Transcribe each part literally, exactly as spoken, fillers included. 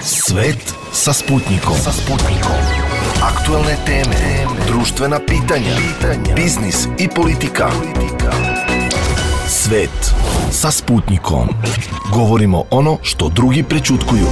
Svet sa Sputnikom. Sa Sputnikom. Aktuelne teme, društvena pitanja, pitanja, biznis i politika. Svet sa Sputnikom. Govorimo ono što drugi prećutkuju.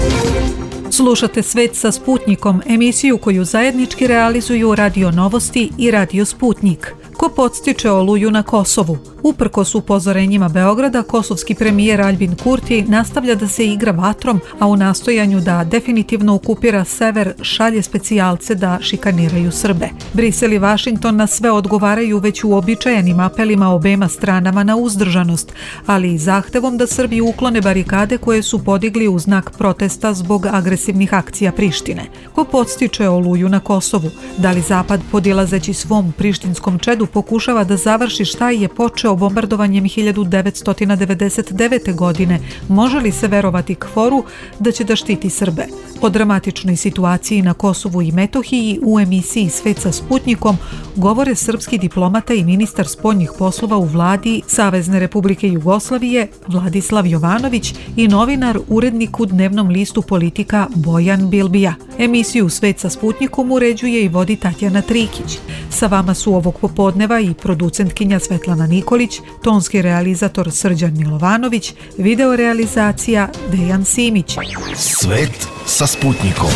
Slušate Svet sa Sputnikom, emisiju koju zajednički realizuju Radio Novosti i Radio Sputnik. Ko podstiče oluju na Kosovu? Uprkos upozorenjima Beograda, kosovski premijer Aljbin Kurti nastavlja da se igra vatrom, a u nastojanju da definitivno okupira sever šalje specijalce da šikaniraju Srbe. Brisel i Vašington na sve odgovaraju već uobičajenim apelima obema stranama na uzdržanost, ali i zahtevom da Srbi uklone barikade koje su podigli u znak protesta zbog agresivnih akcija Prištine. Ko podstiče oluju na Kosovu? Da li Zapad, podilazeći svom prištinskom čedu, pokušava da završi šta je počeo bombardovanjem hiljadu devetsto devedeset devete. godine, može li se verovati Kforu da će da štiti Srbe? O dramatičnoj situaciji na Kosovu i Metohiji u emisiji Svet sa Sputnikom govore srpski diplomata i ministar spoljnih poslova u vladi Savezne Republike Jugoslavije Vladislav Jovanović i novinar, urednik u dnevnom listu Politika Bojan Bilbija. Emisiju Svet sa Sputnikom uređuje i vodi Tatjana Trikić. Sa vama su ovog popodneva i producentkinja Svetlana Nikolić, tonski realizator Srđan Milovanović, video realizacija Dejan Simić. Svet sa Sputnikom.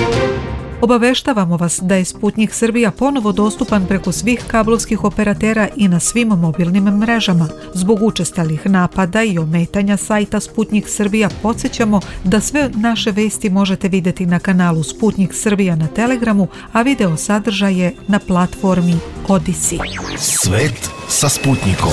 Obaveštavamo vas da je Sputnik Srbija ponovo dostupan preko svih kablovskih operatera i na svim mobilnim mrežama. Zbog učestalih napada i ometanja sajta Sputnik Srbija podsjećamo da sve naše vesti možete vidjeti na kanalu Sputnik Srbija na Telegramu, a video sadržaje na platformi Odisi. Svet sa Sputnikom.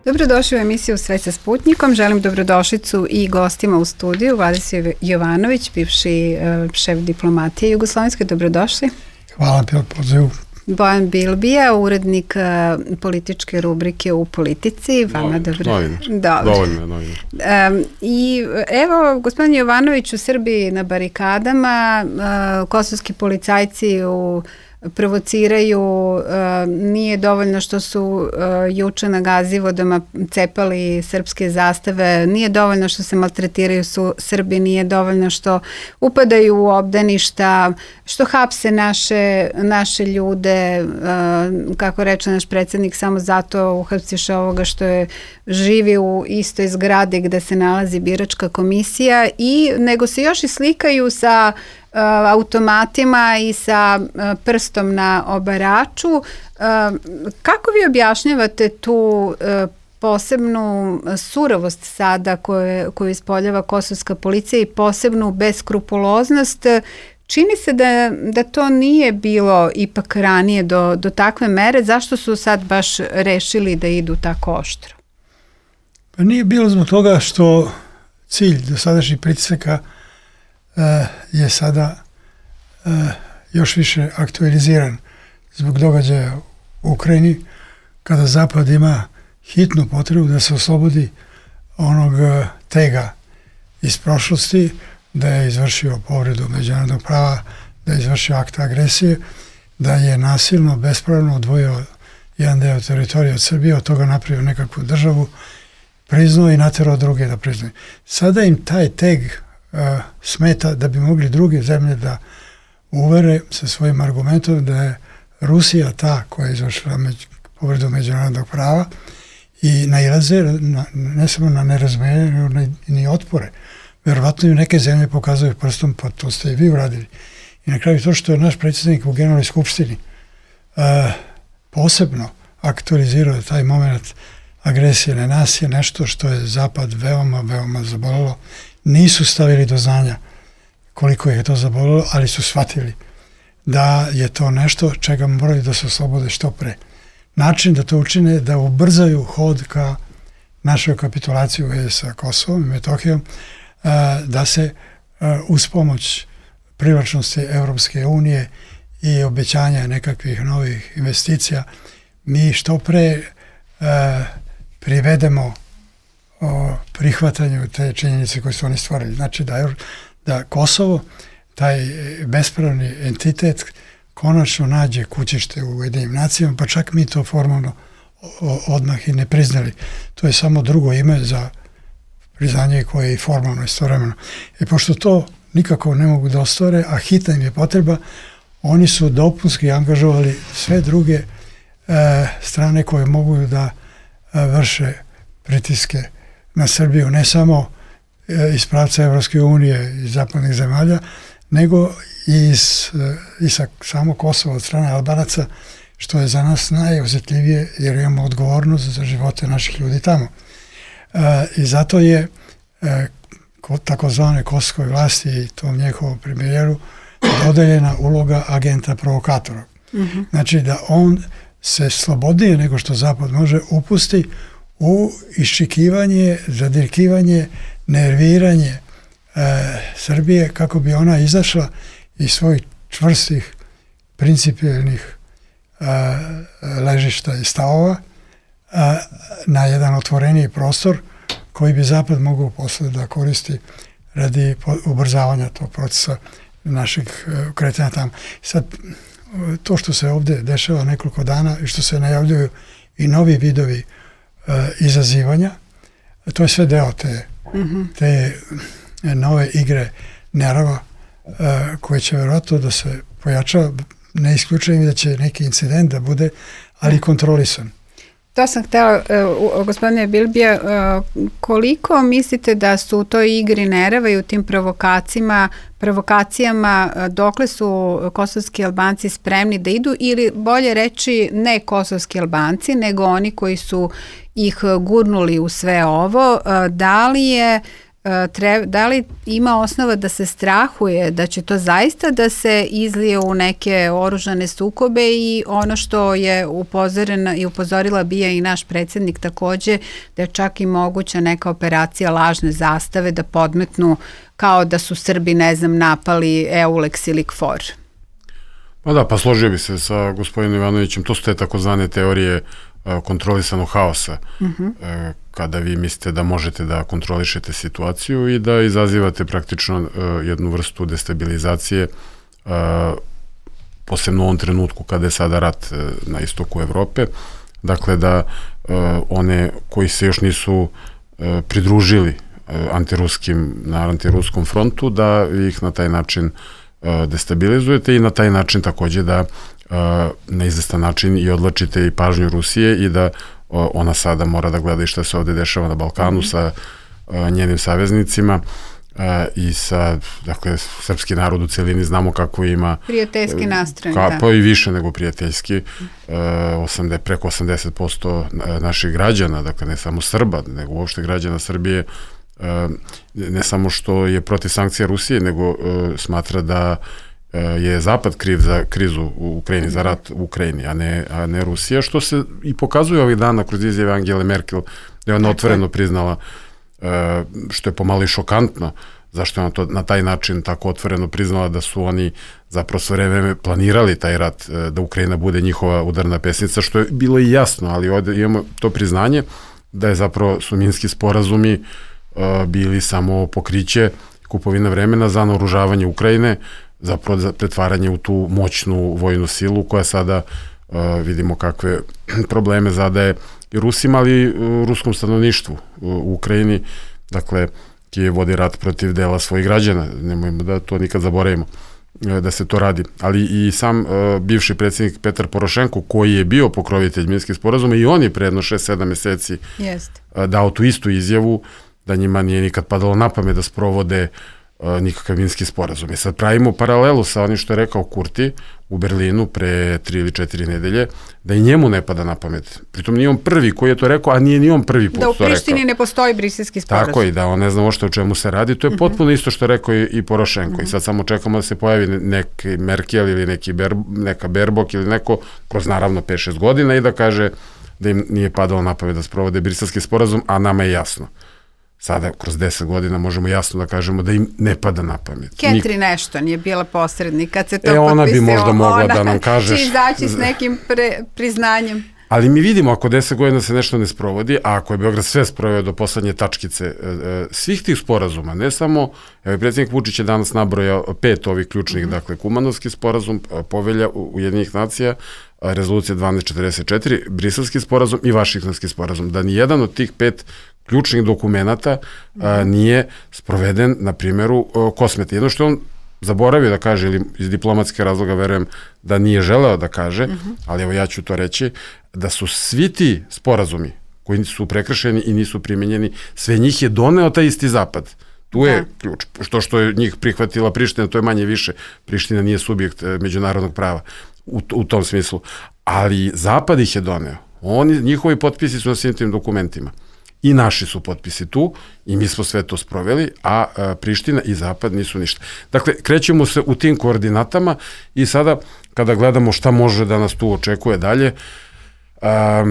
Dobrodošli u emisiju Svet sa Sputnikom. Želim dobrodošlicu i gostima u studiju. Vladislav Jovanović, bivši uh, šef diplomatije Jugoslovenske. Dobrodošli. Hvala na pozivu. Bojan Bilbija, urednik uh, političke rubrike u Politici. Vama dobro. Dovoljno, dovoljno. Um, I evo, gospodin Jovanović, u Srbiji na barikadama, uh, kosovski policajci u provociraju, uh, nije dovoljno što su uh, juče na Gazivodama cepali srpske zastave, nije dovoljno što se maltretiraju su Srbi, nije dovoljno što upadaju u obdaništa, što hapse naše, naše ljude, uh, kako reče naš predsjednik, samo zato uhapsiš ovoga što je živi u istoj zgradi gde se nalazi biračka komisija, i nego se još i slikaju sa Uh, automatima i sa uh, prstom na obaraču. Uh, kako vi objašnjavate tu uh, posebnu surovost sada koje, koju ispoljava kosovska policija i posebnu beskrupuloznost? Čini se da, da to nije bilo ipak ranije do, do takve mere. Zašto su sad baš rešili da idu tako oštro? Pa nije bilo zbog toga što cilj dosadašnjih pritisaka je sada uh, još više aktualiziran zbog događaja u Ukrajini, kada Zapad ima hitnu potrebu da se oslobodi onog uh, tega iz prošlosti, da je izvršio povredu međunarodnog prava, da je izvršio akt agresije, da je nasilno, bespravno odvojio jedan deo teritorije od Srbije, od toga napravio nekakvu državu, priznao i naterao druge da priznaju. Sada im taj teg Uh, smeta da bi mogli druge zemlje da uvere sa svojim argumentom da je Rusija ta koja je izvršila među, povredu međunarodnog prava, i nailaze na, ne samo na nerazumijevanje, nego ni otpore. Verovatno i neke zemlje pokazuju prstom, pa to ste i vi uradili. I na kraju to što je naš predsjednik u Generalnoj skupštini uh, posebno aktualizirao taj moment agresije na nas, je nešto što je Zapad veoma, veoma zabolelo. Nisu stavili do znanja koliko je to zabolilo, ali su shvatili da je to nešto čega moraju da se oslobode što pre. Način da to učine je da ubrzaju hod ka našoj kapitulaciji u vezi sa Kosovom i Metohijom, da se uz pomoć privlačnosti Evropske unije i obećanja nekakvih novih investicija mi što pre privedemo o prihvatanju te činjenice koje su oni stvorili. Znači da, da Kosovo, taj bespravni entitet, konačno nađe kućište u Ujedinjenim nacijama, pa čak mi to formalno odmah i ne priznali. To je samo drugo ime za priznanje koje je i formalno istovremeno. I pošto to nikako ne mogu da ostvare, a hitna im je potreba, oni su dopunski angažovali sve druge e, strane koje mogu da e, vrše pritiske na Srbiju, ne samo e, iz pravca Evropske unije i zapadnih zemalja, nego i, iz, e, i sa samo Kosova od strane Albanaca, što je za nas najosjetljivije jer imamo odgovornost za živote naših ljudi tamo. E, I zato je e, takozvane kosovskoj vlasti i tom njihovom premijeru dodeljena uloga agenta provokatora. Mm-hmm. Znači da on se slobodnije nego što Zapad može upusti u iščekivanje, zadirkivanje, nerviranje e, Srbije kako bi ona izašla iz svojih čvrstih, principijelnih e, ležišta i stavova e, na jedan otvoreniji prostor koji bi Zapad mogao posle da koristi radi ubrzavanja tog procesa našeg uh, kretanja tamo. Sad, to što se ovdje dešava nekoliko dana i što se najavljuju i novi vidovi uh, izazivanja, to je sve deo te, mm-hmm. te nove igre nerava uh, koje će vjerojatno da se pojača, ne isključujem da će neki incident da bude, ali kontrolisan. To sam htjela, uh, gospodine Bilbija, uh, koliko mislite da su u toj igri nerava i u tim provokacijama, provokacijama uh, dokle su kosovski Albanci spremni da idu, ili bolje reći ne kosovski Albanci, nego oni koji su ih gurnuli u sve ovo, uh, da li je Treba, da li ima osnova da se strahuje da će to zaista da se izlije u neke oružane sukobe, i ono što je upozorena i upozorila bija i naš predsjednik takođe, da je čak i moguća neka operacija lažne zastave da podmetnu kao da su Srbi, ne znam, napali Eulex ili KFOR. Pa da, pa složio bi se sa gospodinom Ivanovićem, to su te takozvane teorije kontrolisanog haosa, uh-huh. kada vi mislite da možete da kontrolišete situaciju i da izazivate praktično uh, jednu vrstu destabilizacije, uh, posebno u ovom trenutku kada je sada rat uh, na istoku Evrope. Dakle, da uh, one koji se još nisu uh, pridružili uh, antiruskim, na antiruskom frontu, da ih na taj način uh, destabilizujete i na taj način takođe da uh, na izvestan način i odlačite i pažnju Rusije i da ona sada mora da gleda i šta se ovde dešava na Balkanu mm-hmm. sa uh, njenim saveznicima uh, i sa, dakle, srpski narod u celini znamo kako ima prijateljski nastrojen, ka, da. Pa i više nego prijateljski, uh, osamdeset, preko osamdeset posto naših građana, dakle ne samo Srba, nego uopšte građana Srbije, uh, ne samo što je protiv sankcija Rusije, nego uh, smatra da je Zapad kriv za krizu u Ukrajini, za rat u Ukrajini, a ne, a ne Rusija, što se i pokazuje ovih dana kroz izjave Angele Merkel, da je ona otvoreno priznala, što je pomalo i šokantno, zašto je ona to na taj način tako otvoreno priznala da su oni zapravo sve vreme planirali taj rat, da Ukrajina bude njihova udarna pesnica, što je bilo i jasno, ali ovde imamo to priznanje da je zapravo su minski sporazumi bili samo pokriće, kupovina vremena za naoružavanje Ukrajine, zapravo za pretvaranje u tu moćnu vojnu silu koja sada uh, vidimo kakve probleme zadaje i Rusima, ali i uh, ruskom stanovništvu u, u Ukrajini. Dakle, Kijev vodi rat protiv dela svojih građana, nemojmo da to nikad zaboravimo, uh, da se to radi. Ali i sam uh, bivši predsjednik Petar Porošenko, koji je bio pokrovitelj minskih sporazuma, i on je pre jedno šest sedam meseci uh, dao tu istu izjavu da njima nije nikad padalo na pamet da sprovode nikakav minski sporazum. I sad pravimo paralelu sa onim što je rekao Kurti u Berlinu pre tri ili četiri nedelje, da i njemu ne pada na pamet. Pritom nije on prvi koji je to rekao, a nije ni on prvi put to rekao. Da u Prištini ne postoji briselski sporazum. Tako i da on ne zna ošte o čemu se radi. To je potpuno isto što je rekao i, i Porošenko. Mm-hmm. I sad samo čekamo da se pojavi neki Merkel ili neki Ber, neka Berbok ili neko kroz naravno pet šest godina i da kaže da im nije padalo na pamet da sprovode briselski sporazum, a nama je jasno. Sada, kroz deset godina, možemo jasno da kažemo da im ne pada na pamet. Catherine Ashton je bila posrednik kad se to e, ona potpisao. Bi možda mogla ona da nam kaže... će izaći s nekim pre, priznanjem. Ali mi vidimo, ako deset godina se nešto ne sprovodi, a ako je Beograd sve sproveo do poslednje tačkice e, e, svih tih sporazuma, ne samo, evo, predsjednik Vučić je danas nabrojao pet ovih ključnih, mm-hmm. dakle, Kumanovski sporazum, povelja Ujedinjenih nacija, rezolucija dvanaest četrdeset četiri, briselski sporazum i vašingtonski sporazum, da ni jedan od tih pet ključnih dokumenata a, nije sproveden na primjeru a, Kosmeta. Jedno što on zaboravio da kaže, ili iz diplomatske razloga verujem da nije želeo da kaže, uh-huh. ali evo ja ću to reći, da su svi ti sporazumi koji su prekršeni i nisu primenjeni, sve njih je doneo taj isti Zapad. Tu je da. ključ. Što što je njih prihvatila Priština, to je manje više. Priština nije subjekt međunarodnog prava u, u tom smislu. Ali Zapad ih je doneo. Oni, njihovi potpisi su na svim tim dokumentima. I naši su potpisi tu i mi smo sve to sproveli, a, a Priština i Zapad nisu ništa. Dakle, krećemo se u tim koordinatama i sada kada gledamo šta može da nas tu očekuje dalje, a,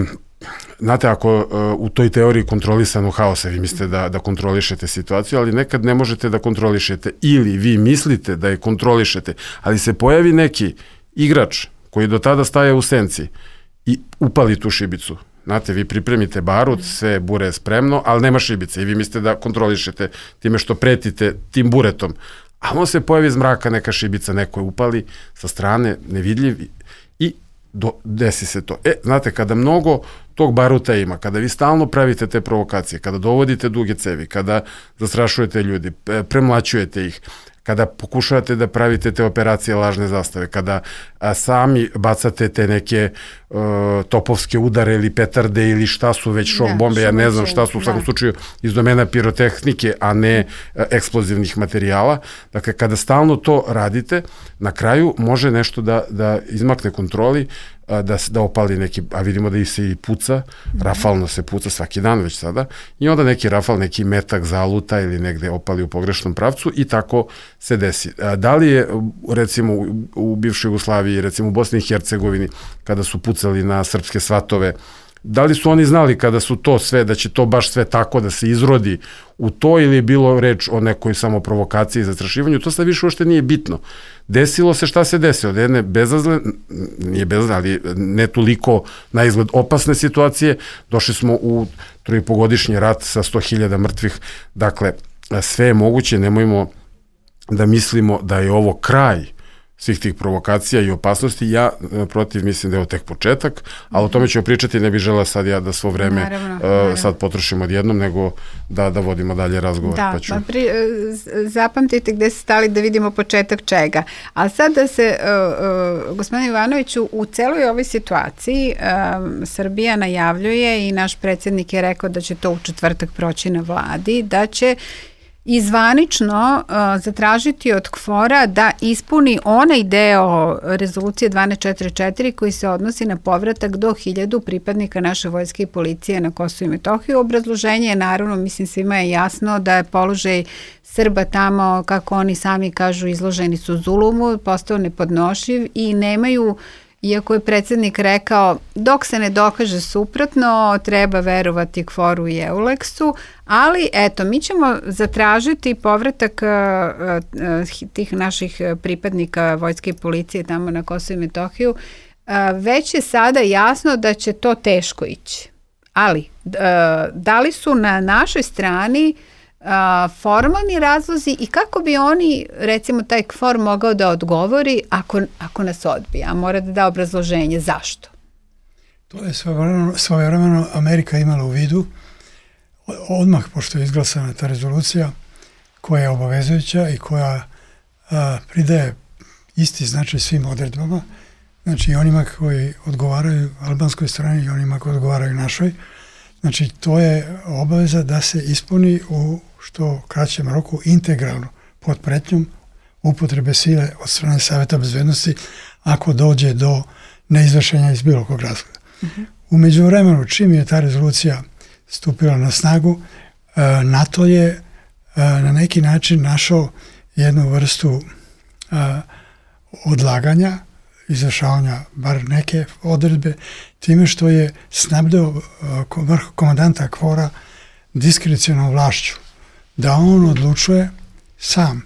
znate, ako a, u toj teoriji kontrolisanog haosa vi mislite da, da kontrolišete situaciju, ali nekad ne možete da kontrolišete, ili vi mislite da je kontrolišete, ali se pojavi neki igrač koji do tada staje u senci i upali tu šibicu. Znate, vi pripremite barut, sve bure je spremno, ali nema šibice i vi mislite da kontrolišete time što pretite tim buretom. A on se pojavi iz mraka, neka šibica, neko je upali sa strane, nevidljiv i do, desi se to. E, znate, kada mnogo tog baruta ima, kada vi stalno pravite te provokacije, kada dovodite duge cevi, kada zastrašujete ljudi, premlaćujete ih, kada pokušavate da pravite te operacije lažne zastave, kada a, sami bacate te neke uh, topovske udare ili petarde ili šta su već šok bombe, ja ne znam šta su u svakom slučaju iz domena pirotehnike, a ne a, eksplozivnih materijala. Dakle, kada stalno to radite, na kraju može nešto da, da izmakne kontroli, a, da, da opali neki, a vidimo da i se i puca, mm. rafalno se puca svaki dan već sada, i onda neki rafal, neki metak zaluta ili negde opali u pogrešnom pravcu i tako se desi. A, da li je, recimo, u, u bivšoj Jugoslaviji, recimo u Bosni i Hercegovini, kada su pucali na srpske svatove, da li su oni znali kada su to sve, da će to baš sve tako da se izrodi u to, ili je bilo reč o nekoj samo provokaciji i zastrašivanju? To sad više uopšte nije bitno. Desilo se šta se desilo, da jedne bezazle, nije bezazle, ali ne toliko na izgled opasne situacije, došli smo u trojipogodišnji rat sa sto hiljada mrtvih. Dakle, sve je moguće, nemojmo da mislimo da je ovo kraj svih tih provokacija i opasnosti. Ja protiv mislim da je ovo tek početak, ali o tome ćemo pričati, ne bih žela sad ja da svo vreme naravno, uh, naravno. sad potrošimo odjednom, nego da, da vodimo dalje razgovor. Da, pa ću... pa pri, zapamtite gde ste stali da vidimo početak čega. A sad da se, uh, uh, gospodin Ivanoviću, u celoj ovoj situaciji uh, Srbija najavljuje i naš predsjednik je rekao da će to u četvrtak proći na vladi, da će i zvanično uh, zatražiti od KFOR-a da ispuni onaj deo rezolucije dvanaest četrdeset četiri koji se odnosi na povratak do hiljadu pripadnika naše vojske i policije na Kosovo i Metohiju. Obrazloženje je naravno, mislim svima je jasno da je položaj Srba tamo, kako oni sami kažu, izloženi su zulumu, postao nepodnošiv i nemaju, iako je predsjednik rekao dok se ne dokaže suprotno treba verovati KFOR-u i EULEX-u, ali eto, mi ćemo zatražiti povratak uh, uh, tih naših pripadnika vojske i policije tamo na Kosovo i Metohiju. Uh, već je sada jasno da će to teško ići, ali uh, da li su na našoj strani Uh, formalni razlozi i kako bi oni, recimo taj KFOR mogao da odgovori ako, ako nas odbije, a mora da da obrazloženje zašto? To je svojevremeno Amerika imala u vidu odmah pošto je izglasana ta rezolucija koja je obavezujuća i koja a, pridaje isti značaj svim odredbama, znači i onima koji odgovaraju albanskoj strani i onima koji odgovaraju našoj. Znači, to je obaveza da se ispuni u što kraćem roku integralno pod pretnjom upotrebe sile od strane Saveta bezbednosti ako dođe do neizvršenja iz bilo kog razloga. Uh-huh. U međuvremenu, čim je ta rezolucija stupila na snagu, NATO je na neki način našao jednu vrstu odlaganja, izvršavanja bar neke odredbe, time što je snabdeo vrh komandanta KFOR-a diskrecionalnom vlašću, da on odlučuje sam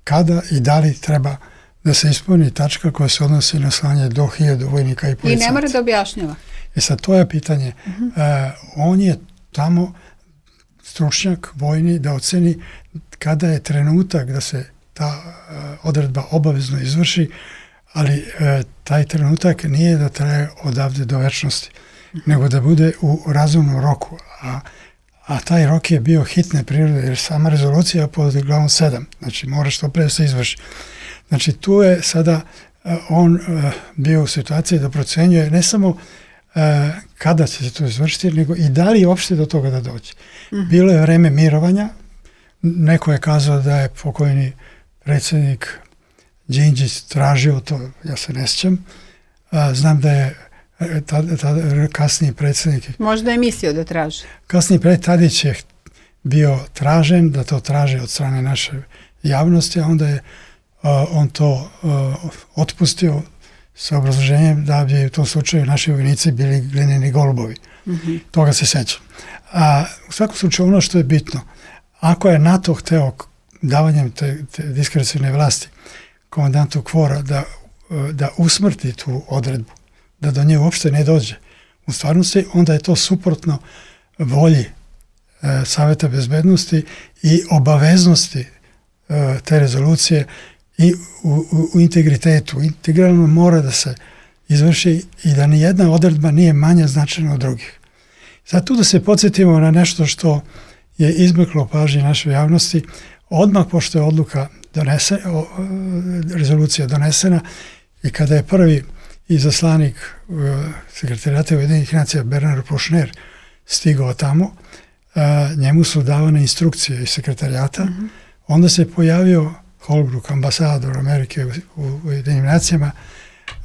kada i da li treba da se ispuni tačka koja se odnosi na slanje do hiljadu vojnika i policajaca. I ne mora da objašnjava. E sad, to je pitanje. Uh-huh. E, on je tamo stručnjak vojni da oceni kada je trenutak da se ta uh, odredba obavezno izvrši, ali e, taj trenutak nije da traje odavde do večnosti, nego da bude u razumnom roku. A a taj rok je bio hitne prirode, jer sama rezolucija pod glavom sedam, znači mora što pre da se izvrši. Znači tu je sada on bio u situaciji da procenjuje ne samo kada će se to izvršiti, nego i da li je uopšte do toga da dođe. Mm. Bilo je vreme mirovanja, neko je kazao da je pokojni predsjednik Đinđić tražio to, ja se ne sjećam. Znam da je tada, tada, kasniji predsjednik... Možda je mislio da traži. Kasniji predsjednik Tadić je bio tražen, da to traži od strane naše javnosti, a onda je uh, on to uh, otpustio sa obrazloženjem da bi u tom slučaju naši vojnici bili glineni golubovi. Mm-hmm. Toga se sećam. A u svakom slučaju ono što je bitno, ako je NATO hteo davanjem te, te diskrecione vlasti komandantu Kvora da, da usmrti tu odredbu, da do nje uopšte ne dođe u stvarnosti, onda je to suprotno volji e, Saveta bezbednosti i obaveznosti e, te rezolucije i u, u, u integritetu. Integralno mora da se izvrši i da ni jedna odredba nije manja značajna od drugih. Zato da se podsjetimo na nešto što je izbjeglo pažnje našoj javnosti, odmah pošto je odluka donese, o, rezolucija donesena i kada je prvi izaslanik sekretarijata Ujedinjenih nacija Bernard Kouchner stigao tamo, a, njemu su davane instrukcije iz sekretarijata, mm-hmm. onda se pojavio Holbrooke, ambasador Amerike u, u Ujedinjenim nacijama,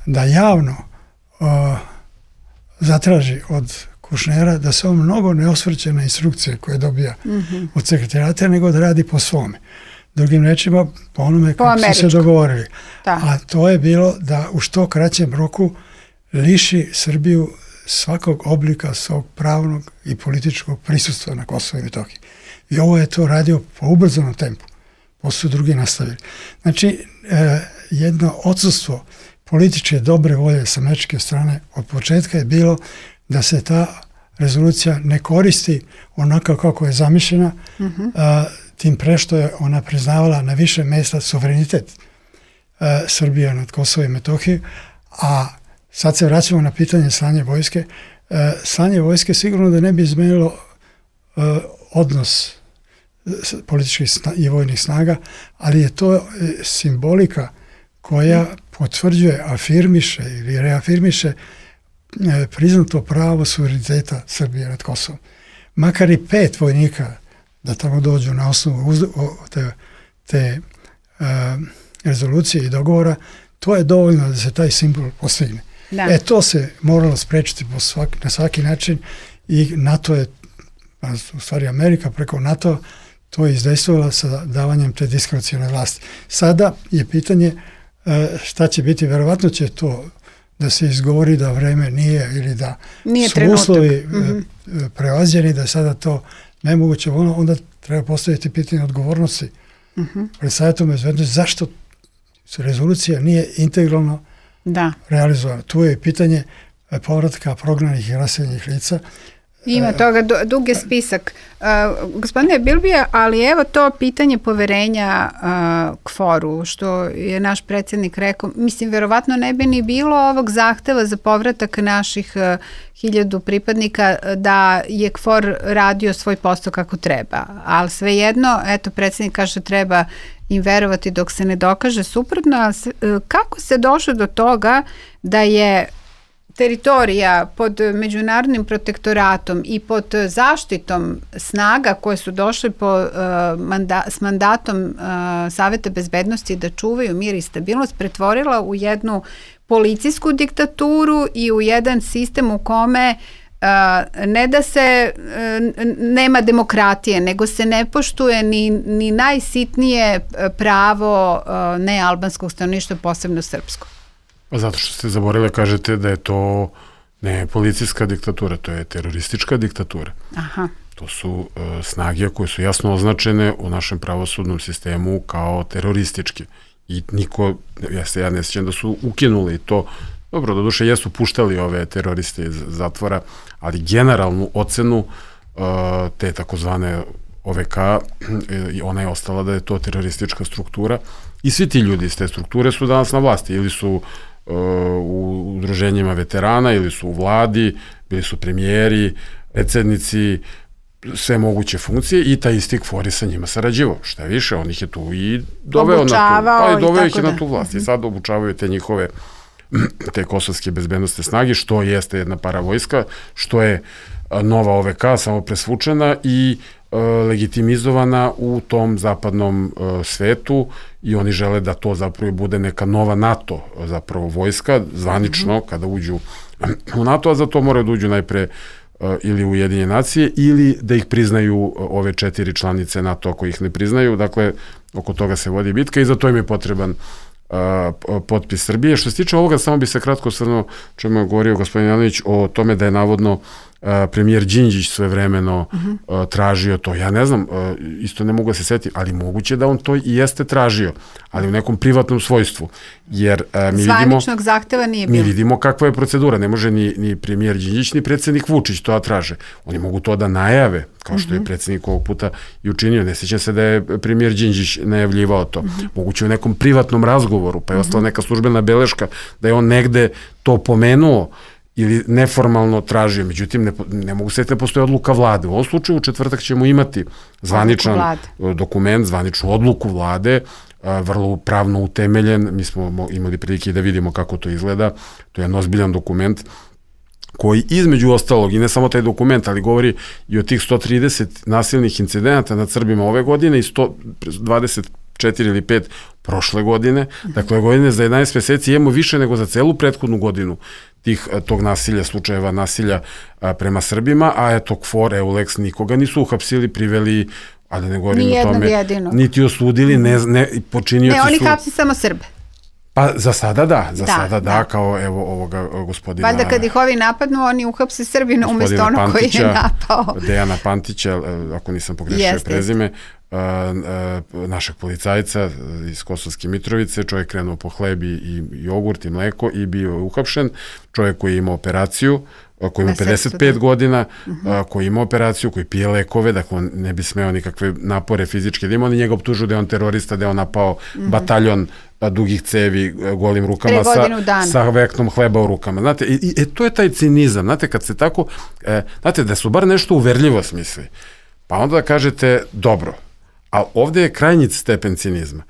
da javno a, zatraži od Kouchnera da se on mnogo ne osvrće na instrukcije koje dobija mm-hmm. od sekretarijata, nego da radi po svome. Drugim rečima, po onome kako su se dogovorili. Da. A to je bilo da u što kraćem roku liši Srbiju svakog oblika svog pravnog i političkog prisustva na Kosovo i Metohiji. I ovo je to radio po ubrzanom tempu. Posle su drugi nastavili. Znači, eh, jedno odsustvo političke dobre volje sa američke strane od početka je bilo da se ta rezolucija ne koristi onako kako je zamišljena, mm-hmm. a, tim pre što je ona priznavala na više mjesta suverenitet a, Srbije nad Kosovo i Metohiju, a sad se vraćamo na pitanje slanje vojske. A, slanje vojske sigurno da ne bi izmenilo a, odnos političkih i vojnih snaga, ali je to e, simbolika koja potvrđuje, afirmiše ili reafirmiše e, priznato pravo suvereniteta Srbije nad Kosovom. Makar i pet vojnika da tamo dođu na osnovu uz, o, te, te e, rezolucije i dogovora, to je dovoljno da se taj simbol postigne. Da. E to se moralo sprečiti po svaki, na svaki način i NATO je, u stvari Amerika preko NATO to je izdejstvovala sa davanjem te diskrecione vlasti. Sada je pitanje šta će biti, verovatno će to da se izgovori da vreme nije ili da nije su trenutak. uslovi mm-hmm. prevaziđeni, da je sada to nemoguće, onda treba postaviti pitanje odgovornosti mm-hmm. pred Savetom bezbednosti, zašto rezolucija nije integralno da. realizovana. Tu je pitanje povratka prognanih i raseljenih lica. Ima toga, dug je spisak. Uh, gospodine Bilbija, ali evo to pitanje poverenja uh, Kforu, što je naš predsjednik rekao, mislim, verovatno ne bi ni bilo ovog zahteva za povratak naših uh, hiljadu pripadnika da je Kfor radio svoj posao kako treba. Ali svejedno, eto, predsjednik kaže treba im verovati dok se ne dokaže suprotno. Uh, kako se došlo do toga da je teritorija pod međunarodnim protektoratom i pod zaštitom snaga koje su došli po, uh, manda, s mandatom uh, Saveta bezbednosti da čuvaju mir i stabilnost, pretvorila u jednu policijsku diktaturu i u jedan sistem u kome uh, ne da se uh, nema demokratije, nego se ne poštuje ni, ni najsitnije pravo uh, nealbanskog stanovništva, posebno srpsko. Zato što ste zaboravili, kažete da je to ne policijska diktatura, to je teroristička diktatura. Aha. To su uh, snage koje su jasno označene u našem pravosudnom sistemu kao terorističke. I niko, ja se ja ne sjećam da su ukinuli to. Dobro, doduše jesu puštali ove teroriste iz zatvora, ali generalnu ocenu uh, te takozvane O V K, ona je ostala da je to teroristička struktura i svi ti ljudi iz te strukture su danas na vlasti, ili su u udruženjima veterana, ili su u vladi, bili su premijeri, predsjednici, sve moguće funkcije i taj isti KFOR je sa njima sarađivao. Šta više, on ih je tu i doveo obučavao na tu, pa i doveo ih da. na tu vlast. I sad obučavaju te njihove te kosovske bezbednostne snage, što jeste jedna paravojska, što je nova O V K, samo presvučena i e, legitimizovana u tom zapadnom e, svetu i oni žele da to zapravo bude neka nova NATO zapravo vojska, zvanično, mm-hmm. kada uđu u NATO, a za to moraju da uđu najpre ili Ujedinjene nacije, ili da ih priznaju ove četiri članice NATO ako ih ne priznaju. Dakle, oko toga se vodi bitka i za to im je potreban uh, potpis Srbije. Što se tiče ovoga, samo bi se kratko osvrnuo, čemu je govorio gospodin Janović o tome da je navodno Uh, premijer Đinđić svojevremeno uh-huh. uh, tražio to. Ja ne znam, uh, isto ne mogu da se setiti, ali moguće da on to i jeste tražio, ali u nekom privatnom svojstvu. Jer uh, mi vidimo... Zvaničnog zahteva nije bilo. Mi vidimo kakva je procedura. Ne može ni, ni premijer Đinđić, ni predsjednik Vučić to da traže. Oni mogu to da najave, kao što uh-huh. je predsjednik ovog puta i učinio. Ne sjećam se da je premijer Đinđić najavljivao to. Uh-huh. Moguće u nekom privatnom razgovoru, pa je uh-huh. ostala neka službena beleška da je on negde to pomenuo ili neformalno tražio, međutim ne, ne mogu se da postoji odluka vlade. U ovom slučaju u četvrtak ćemo imati zvaničan dokument, zvaničnu odluku vlade, vrlo pravno utemeljen, mi smo imali prilike da vidimo kako to izgleda, to je jedan ozbiljan dokument koji između ostalog, i ne samo taj dokument, ali govori i o tih sto trideset nasilnih incidenata nad Srbima ove godine i sto dvadeset četiri ili pet prošle godine. Dakle, godine za jedanaest meseci imamo više nego za celu prethodnu godinu tih, tog nasilja, slučajeva nasilja a, prema Srbima, a eto KFOR, EULEX nikoga nisu uhapsili, priveli, a da ne govorim o tome, jedinog. Niti osudili, ne, ne, počinioci su... Ne, oni hapsi samo Srbe. Pa za sada da, za da, sada da, da, kao evo ovoga gospodina... Valjda kad ih ovi napadnu, oni uhapse Srbina umjesto ono koji je napao. Dejana Pantića, ako nisam pogrešio prezime, Uh, uh, našeg policajca iz Kosovske Mitrovice, čovjek krenuo po hleb i jogurt i mleko i bio je uhapšen, čovjek koji ima operaciju, koji ima pedeset pet godina, uh-huh. koji ima operaciju, koji pije lekove, dakle on ne bi smeo nikakve napore fizičke da ima, oni njega optužuju da je on terorista, da je on napao uh-huh. bataljon dugih cevi golim rukama sa, sa veknom hleba u rukama. Znate, i, i, i to je taj cinizam, znate, kad se tako, e, znate, da su bar nešto uverljivo smisli, pa onda da kažete, dobro, ali ovde je krajnji stepen cinizma,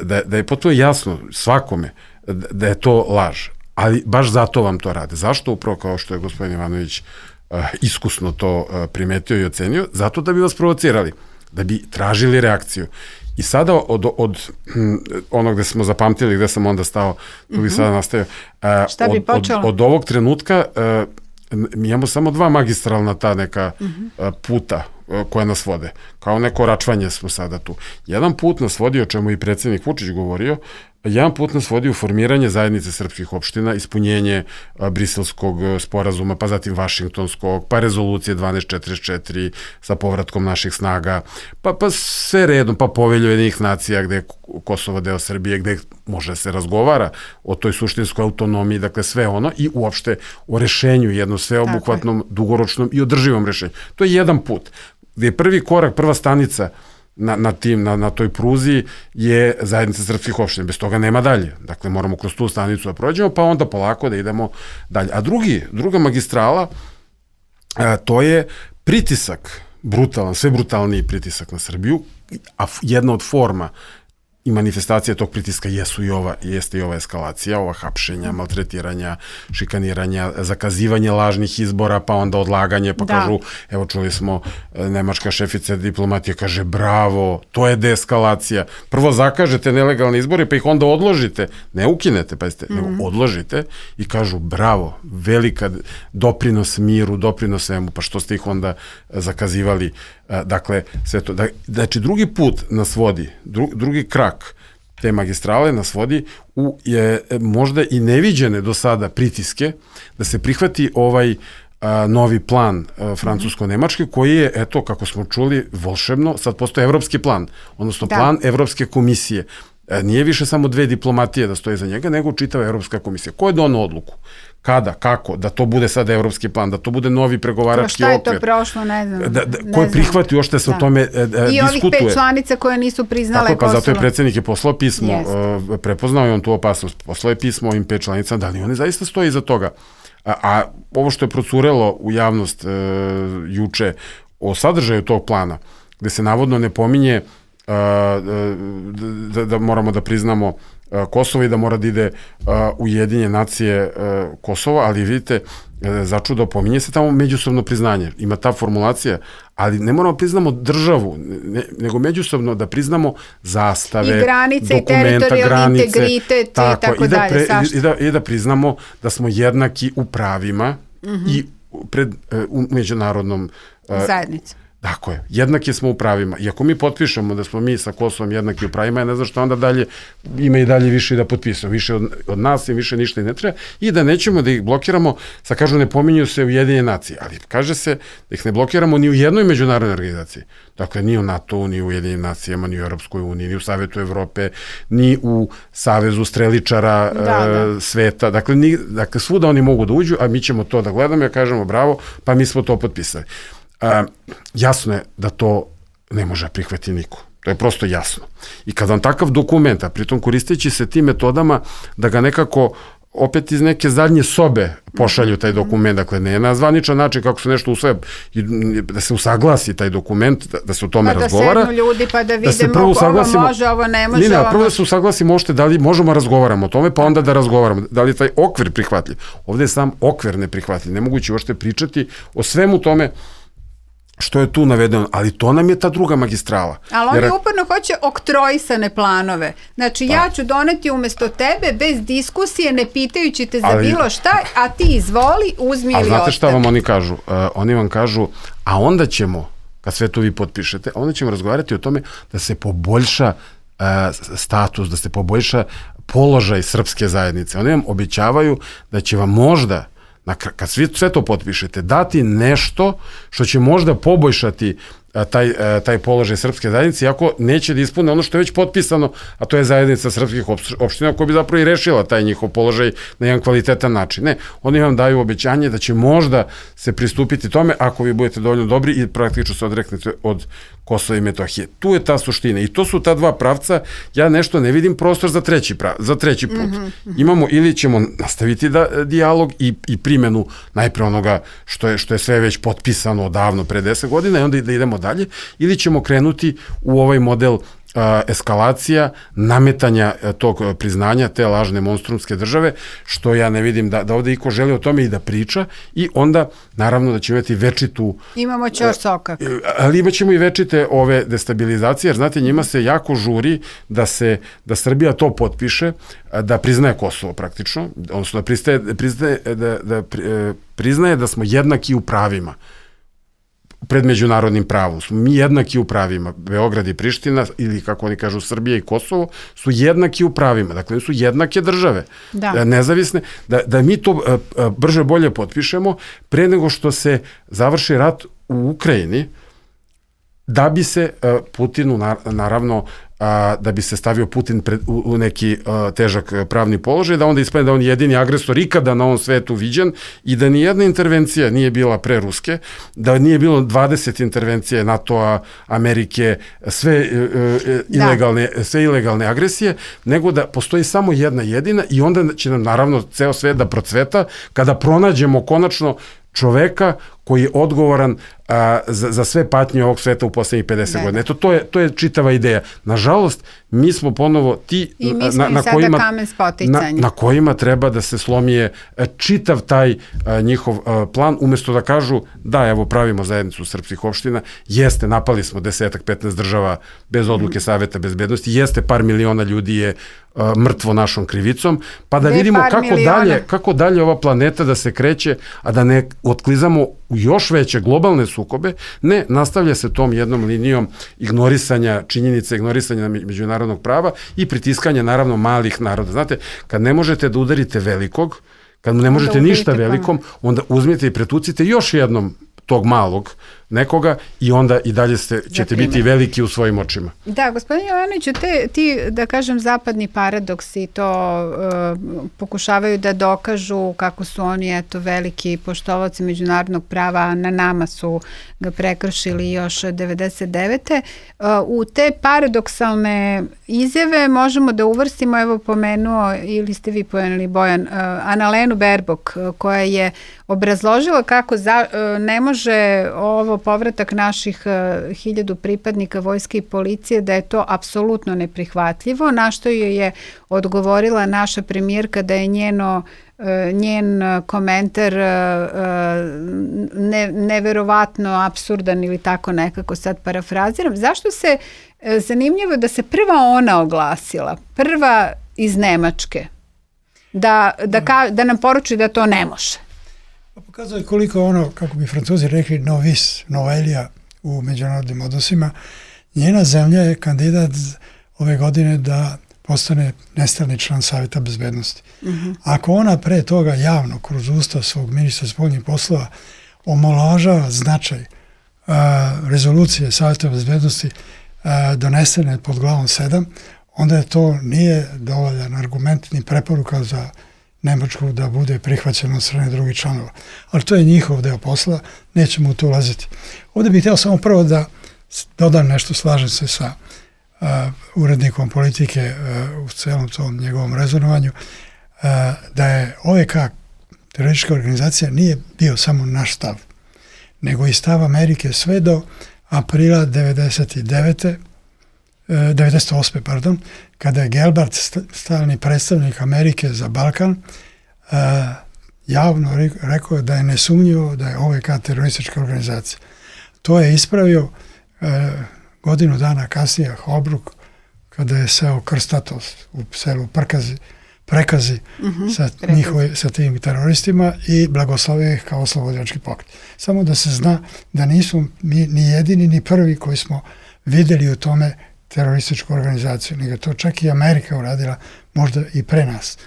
da, da je potpuno jasno svakome da je to laž, ali baš zato vam to rade. Zašto? Upravo kao što je gospodin Ivanović uh, iskusno to uh, primetio i ocenio, zato da bi vas provocirali, da bi tražili reakciju. I sada od, od hm, onog gde smo zapamtili, gde sam onda stao, tu bi mm-hmm. sada nastavio, uh, Šta bi od, od, od ovog trenutka uh, mi imamo samo dva magistralna ta neka mm-hmm. uh, puta koje nas vode. Kao neko račvanje smo sada tu. Jedan put nas vodi, o čemu i predsjednik Vučić govorio, jedan put nas vodi u formiranje zajednice srpskih opština, ispunjenje a, briselskog sporazuma, pa zatim vašingtonskog, pa rezolucije dvanaest četrdeset četiri sa povratkom naših snaga, pa, pa sve redom, pa povelju Ujedinjenih nacija gde je Kosovo deo Srbije, gde može se razgovara o toj suštinskoj autonomiji, dakle sve ono i uopšte o rešenju, jednom sveobuhvatnom, dugoročnom i održivom rešenju. To je jedan put gde je prvi korak, prva stanica na, na, tim, na, na toj pruzi je zajednica srpskih opština. Bez toga nema dalje. Dakle, moramo kroz tu stanicu da prođemo, pa onda polako da idemo dalje. A drugi, druga magistrala, a, to je pritisak, brutalan, sve brutalniji pritisak na Srbiju, a jedna od forma i manifestacije tog pritiska jesu i ova, jeste i ova eskalacija, ova hapšenja, maltretiranja, šikaniranja, zakazivanje lažnih izbora, pa onda odlaganje, pa da. Kažu, evo čuli smo, nemačka šefica diplomatije kaže, bravo, to je deeskalacija. Prvo zakažete nelegalne izbore, pa ih onda odložite, ne ukinete, pa jeste, mm-hmm. nego odložite i kažu, bravo, velika doprinos miru, doprinos svemu, pa što ste ih onda zakazivali. Dakle, sve to. Znači, drugi put nas vodi, dru, drugi krak te magistrale nas vodi u je, možda i neviđene do sada pritiske da se prihvati ovaj a, novi plan a, francusko-nemački koji je, eto, kako smo čuli, volšebno, sad postoji evropski plan, odnosno da. Plan Evropske komisije. A, nije više samo dve diplomatije da stoje za njega, nego čitava Evropska komisija. Ko je donao odluku? Kada, kako, da to bude sada evropski plan, da to bude novi pregovarački okvir. Šta je to prošlo, ne znam. Da, da, ko je prihvatio ošte se da. O tome e, diskutuje. I ovih pet članica koje nisu priznale Kosovo. Pa zato je predsjednik je poslao pismo, uh, prepoznao je on tu opasnost, poslao je pismo ovim pet članicama, da li oni zaista stoji iza toga. A, a ovo što je procurelo u javnost uh, juče o sadržaju tog plana, gde se navodno ne pominje uh, da, da moramo da priznamo Kosovo i da mora da ide uh, Ujedinjene nacije uh, Kosova, ali vidite, uh, začudo pominje se tamo međusobno priznanje. Ima ta formulacija, ali ne moramo priznamo državu, ne, nego međusobno da priznamo zastave, i granice, dokumenta, i teritorijalni granice, integritet tako, i tako i da dalje. Pre, i, da, I da priznamo da smo jednaki u pravima mm-hmm. i pred, uh, u međunarodnom uh, zajednici. Tako je, jednaki smo u pravima. I ako mi potpišemo da smo mi sa Kosovom jednaki u pravima, ja ne znam što onda dalje ima i dalje više da potpisamo. Više od, od nas i više ništa i ne treba. I da nećemo da ih blokiramo, sa kažu ne pominju se Ujedinjene nacije, ali kaže se da ih ne blokiramo ni u jednoj međunarodnoj organizaciji. Dakle, ni u NATO, ni u Ujedinjenim nacijama, ni u Europskoj uniji, ni u Savetu Evrope, ni u Savezu streličara da, e, da. sveta. Dakle, ni, dakle, svuda oni mogu da uđu, a mi ćemo to da gledamo i kažemo bravo, pa mi smo to potpisali. Uh, jasno je da to ne može prihvatiti niko. To je prosto jasno. I kad vam takav dokument, a pritom koristeći se tim metodama da ga nekako opet iz neke zadnje sobe pošalju taj dokument, dakle ne na zvaničan način kako se nešto usvaja, da se usaglasi taj dokument, da, da se o tome pa razgovara. Da sednu ljudi pa da vidimo da ovo može, ovo ne može. Ne, ne, prvo da se usaglasimo ošte da li možemo razgovaramo o tome, pa onda da razgovaramo. Da li je taj okvir prihvatljiv. Ovde je sam okvir neprihvatljiv. Nemoguće ošte pričati o svemu tome što je tu navedeno, ali to nam je ta druga magistrala. Ali oni Jer... uporno hoće oktrojisane planove. Znači, pa. ja ću doneti umesto tebe bez diskusije, ne pitajući te za ali... bilo šta, a ti izvoli, uzmi ili ostavi. A znate šta vam oni kažu? Uh, oni vam kažu, a onda ćemo, kad sve to vi potpišete, onda ćemo razgovarati o tome da se poboljša uh, status, da se poboljša položaj srpske zajednice. Oni vam obećavaju da će vam možda kad svi sve to potpišete, dati nešto što će možda poboljšati taj, taj položaj srpske zajednice, iako neće da ispune ono što je već potpisano, a to je zajednica srpskih opština koja bi zapravo i rešila taj njihov položaj na jedan kvalitetan način. Ne, oni vam daju obećanje da će možda se pristupiti tome ako vi budete dovoljno dobri i praktično se odreknete od Kosova i Metohije. Tu je ta suština i to su ta dva pravca. Ja nešto ne vidim prostor za treći, prav, za treći put. Mm-hmm. Imamo ili ćemo nastaviti da, dijalog i, i primjenu najpre onoga što je, što je sve već potpisano odavno pre deset godina i onda da idemo dalje, ili ćemo krenuti u ovaj model a, eskalacija, nametanja a, tog a, priznanja te lažne monstrumske države, što ja ne vidim da, da ovde iko želi o tome i da priča, i onda naravno da će imati večitu... Imamo ćor sokak. Ali imat ćemo i večite ove destabilizacije, jer znate, njima se jako žuri da se, da Srbija to potpiše, da priznaje Kosovo praktično, odnosno da pristaje, priznaje, da, da priznaje da smo jednaki u pravima pred međunarodnim pravom. Smo mi jednaki u pravima. Beograd i Priština, ili kako oni kažu Srbija i Kosovo, su jednaki u pravima. Dakle, su jednake države, da. nezavisne. Da, da mi to brže bolje potpišemo pre nego što se završi rat u Ukrajini, da bi se Putinu, naravno, a, da bi se stavio Putin pred, u, u neki a, težak pravni položaj, da onda ispane da on je jedini agresor ikada na ovom svetu viđen i da ni jedna intervencija nije bila pre Ruske, da nije bilo dvadeset intervencije NATO-a, Amerike, sve, e, e, ilegalne, sve ilegalne agresije, nego da postoji samo jedna jedina i onda će nam naravno ceo svet da procveta kada pronađemo konačno čoveka koji je odgovoran a, za, za sve patnje ovog sveta u poslednjih pedeset godina. Eto, to je, to je čitava ideja. Nažalost, mi smo ponovo ti I mi smo na, na, kojima, kamen na, na kojima treba da se slomije čitav taj a, njihov a, plan, umesto da kažu da, evo, pravimo zajednicu srpskih opština, jeste, napali smo desetak, petnaest država bez odluke mm. Saveta bezbednosti, jeste, par miliona ljudi je a, mrtvo našom krivicom, pa da ne vidimo kako dalje, kako dalje ova planeta da se kreće, a da ne otklizamo u još veće globalne sukobe, ne, nastavlja se tom jednom linijom ignorisanja činjenice, ignorisanja međunarodnog prava i pritiskanja naravno malih naroda. Znate, kad ne možete da udarite velikog, kad ne možete ništa velikom, onda uzmite i pretucite još jednom tog malog nekoga i onda i dalje ste, ćete biti veliki u svojim očima. Da, gospodin Jovanoviću, te, ti, da kažem, zapadni paradoksi to uh, pokušavaju da dokažu kako su oni, eto, veliki poštovaoci međunarodnog prava, a na nama su ga prekršili još devedeset devete. Uh, u te paradoksalne izjave možemo da uvrstimo, evo pomenuo, ili ste vi pomenuli, Bojan, uh, Annalenu Baerbock, uh, koja je obrazložila kako za, uh, ne može kaže ovo povratak naših uh, hiljadu pripadnika vojske i policije, da je to apsolutno neprihvatljivo, na što joj je odgovorila naša premijerka da je njeno njen komentar ne, neverovatno apsurdan ili tako nekako, sad parafraziram. Zašto se, zanimljivo da se prva ona oglasila, prva iz Nemačke, da, da, ka, da nam poruči da to ne može? Pokazuje koliko ono, kako bi Francuzi rekli, novis, novelija u međunarodnim odnosima. Njena zemlja je kandidat ove godine da postane nestalni član Savjeta bezbednosti. Uh-huh. Ako ona pre toga javno, kroz usta svog ministra spoljnih poslova, omalovažava značaj uh, rezolucije Savjeta bezbednosti uh, donesene pod glavom sedam, onda je to nije dovoljan argument ni preporuka za Nemačku da bude prihvaćeno od strane drugih članova. Ali to je njihov deo posla, nećemo u to ulaziti. Ovdje bih htio samo prvo da dodam nešto, slažem se sa Uh, urednikom politike uh, u celom tom njegovom rezonovanju, uh, da je O V K teroristička organizacija nije bio samo naš stav, nego i stav Amerike sve do aprila devedeset devete, uh, devedeset osme pardon, kada je Gelbart, stalni predstavnik Amerike za Balkan, uh, javno rekao da je nesumnjivo da je O V K teroristička organizacija. To je ispravio uh, godinu dana kasnije Holbrooke, kada je seo krstatost u selu Prkazi, Prekazi uh-huh, sa, njihove, sa tim teroristima i blagoslovio ih kao oslobodilački pokret. Samo da se zna da nisu ni, ni jedini ni prvi koji smo vidjeli u tome terorističku organizaciju, nego to čak i Amerika uradila, možda i pre nas.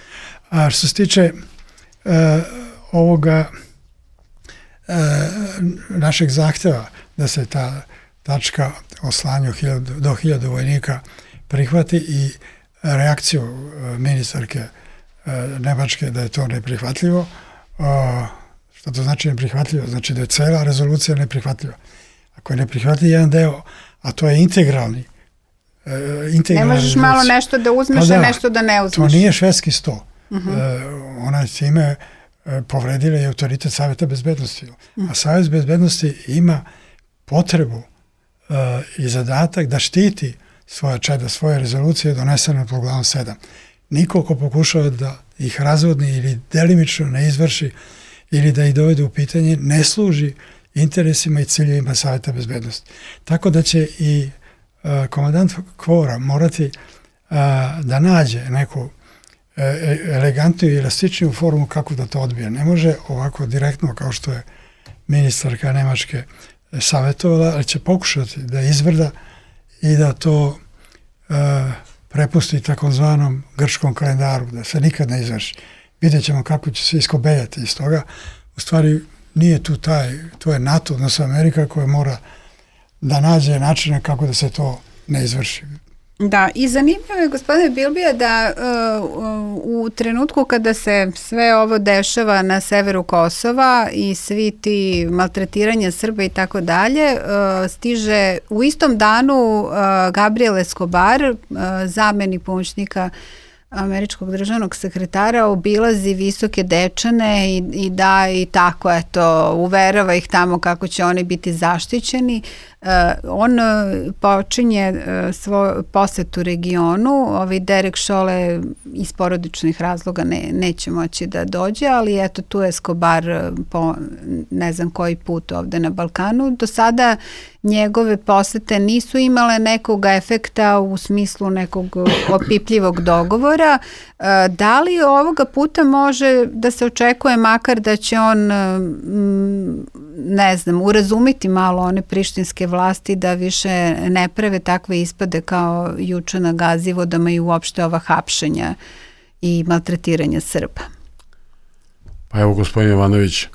A što se tiče uh, ovoga uh, našeg zahteva da se ta tačka o slanju do hiljadu vojnika prihvati i reakciju ministarke Nemačke da je to neprihvatljivo. Što to znači neprihvatljivo? Znači da je cela rezolucija neprihvatljiva. Ako je neprihvatljiv jedan deo, a to je integralni, integralni ne možeš rezolucija. Malo nešto da uzmeš, pa da, a nešto da ne uzmeš. To nije švedski sto. Uh-huh. Ona je time povredila i autoritet Savjeta bezbednosti. Uh-huh. A Savjet bezbednosti ima potrebu Uh, i zadatak da štiti svoja čeda, svoje rezolucije donesene pod glavom sedam. Niko ko pokušava da ih razvodni ili delimično ne izvrši ili da ih dovede u pitanje ne služi interesima i ciljevima Savjeta bezbednosti. Tako da će i uh, komandant Kvora morati uh, da nađe neku uh, elegantniju i elastičniju formu kako da to odbije. Ne može ovako direktno kao što je ministarka Nemačke savjetovala, ali će pokušati da izvrda i da to uh, prepusti takozvanom grčkom kalendaru, da se nikad ne izvrši. Vidjet ćemo kako će se iskobeljati iz toga. U stvari nije tu taj, to je NATO, odnosno Amerika koja mora da nađe načine kako da se to ne izvrši. Da, i zanimljivo je, gospodine Bilbija, da uh, u trenutku kada se sve ovo dešava na severu Kosova i svi ti maltretiranja Srba i tako dalje, stiže u istom danu uh, Gabriel Escobar, uh, zamjenik pomoćnika američkog državnog sekretara, obilazi Visoke Dečane i, i da i tako, eto, uverava ih tamo kako će oni biti zaštićeni. Uh, on uh, počinje uh, svoj poset u regionu, ovaj Derek Šole iz porodičnih razloga ne, neće moći da dođe, ali eto tu je Escobar uh, po ne znam koji put ovde na Balkanu. Do sada njegove posete nisu imale nekog efekta u smislu nekog opipljivog dogovora. Uh, da li ovoga puta može da se očekuje makar da će on um, ne znam, urazumiti malo one prištinske vlasti da više ne prave takve ispade kao juče na Gazivodama i uopšte ova hapšenja i maltretiranja Srba? Pa evo, gospodin Jovanović,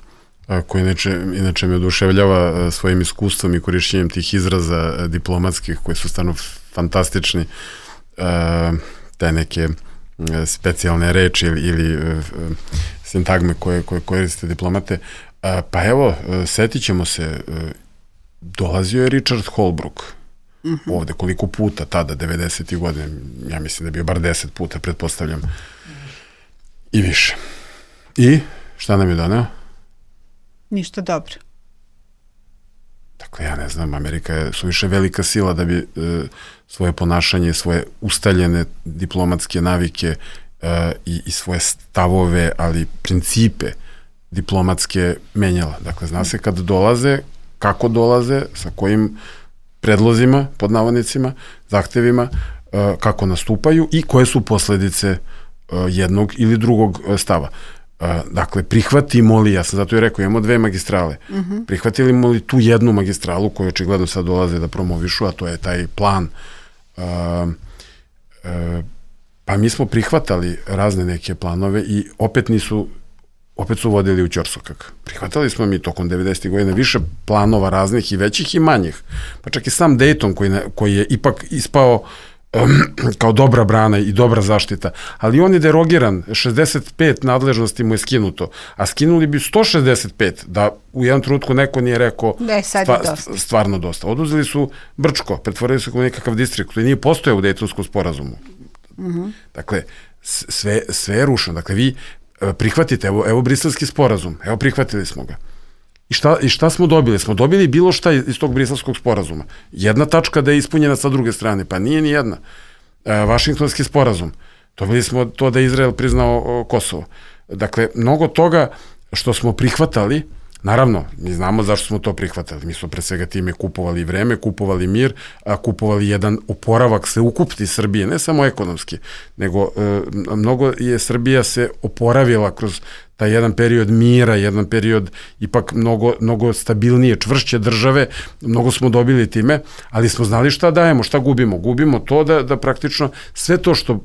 koji inače, inače me oduševljava svojim iskustvom i korišćenjem tih izraza diplomatskih koji su stvarno fantastični, te neke specijalne reči ili, ili sintagme koje, koje koriste diplomate. Pa evo, setit ćemo se, dolazio je Richard Holbrooke uh-huh. ovde koliko puta tada, devedesetih godine, ja mislim da je bio bar deset puta, pretpostavljam, i više. I šta nam je doneo? Ništa dobro. Dakle, ja ne znam, Amerika je suviše velika sila da bi e, svoje ponašanje, svoje ustaljene diplomatske navike e, i, i svoje stavove, ali principe diplomatske menjala. Dakle, zna se kad dolaze, kako dolaze, sa kojim predlozima, pod navodnicima, zahtevima, e, kako nastupaju i koje su posledice e, jednog ili drugog stava. Dakle, prihvatimo li, ja sam zato i rekao, imamo dve magistrale, uh-huh. prihvatimo li tu jednu magistralu koju očigledno sad dolaze da promovišu, a to je taj plan, uh, uh, pa mi smo prihvatali razne neke planove i opet nisu, opet su vodili u ćorsokak. Prihvatali smo mi tokom devedesetih godina više planova raznih i većih i manjih, pa čak i sam Dayton koji, ne, koji je ipak ispao kao dobra brana i dobra zaštita, ali on je derogiran, šezdeset pet nadležnosti mu je skinuto, a skinuli bi sto šezdeset pet, da u jednom trenutku neko nije rekao da stva, stvarno dosta. Oduzeli su Brčko, pretvorili su kao nekakav distrikt koji nije postojao u Dejtonskom sporazumu. Uh-huh. Dakle, sve, sve je rušeno. Dakle, vi prihvatite, evo, evo Briselski sporazum, evo prihvatili smo ga. I šta, I šta smo dobili? Smo dobili bilo šta iz tog Briselskog sporazuma. Jedna tačka da je ispunjena sa druge strane, pa nije ni jedna. E, Vašingtonski sporazum. Dobili smo to da je Izrael priznao o, Kosovo. Dakle, mnogo toga što smo prihvatali, naravno, mi znamo zašto smo to prihvatali. Mi smo pre svega time kupovali vreme, kupovali mir, a kupovali jedan oporavak sveukupni Srbije, ne samo ekonomski, nego e, mnogo je Srbija se oporavila kroz taj jedan period mira, jedan period ipak mnogo, mnogo stabilnije, čvršće države, mnogo smo dobili time, ali smo znali šta dajemo, šta gubimo. Gubimo to da, da praktično sve to što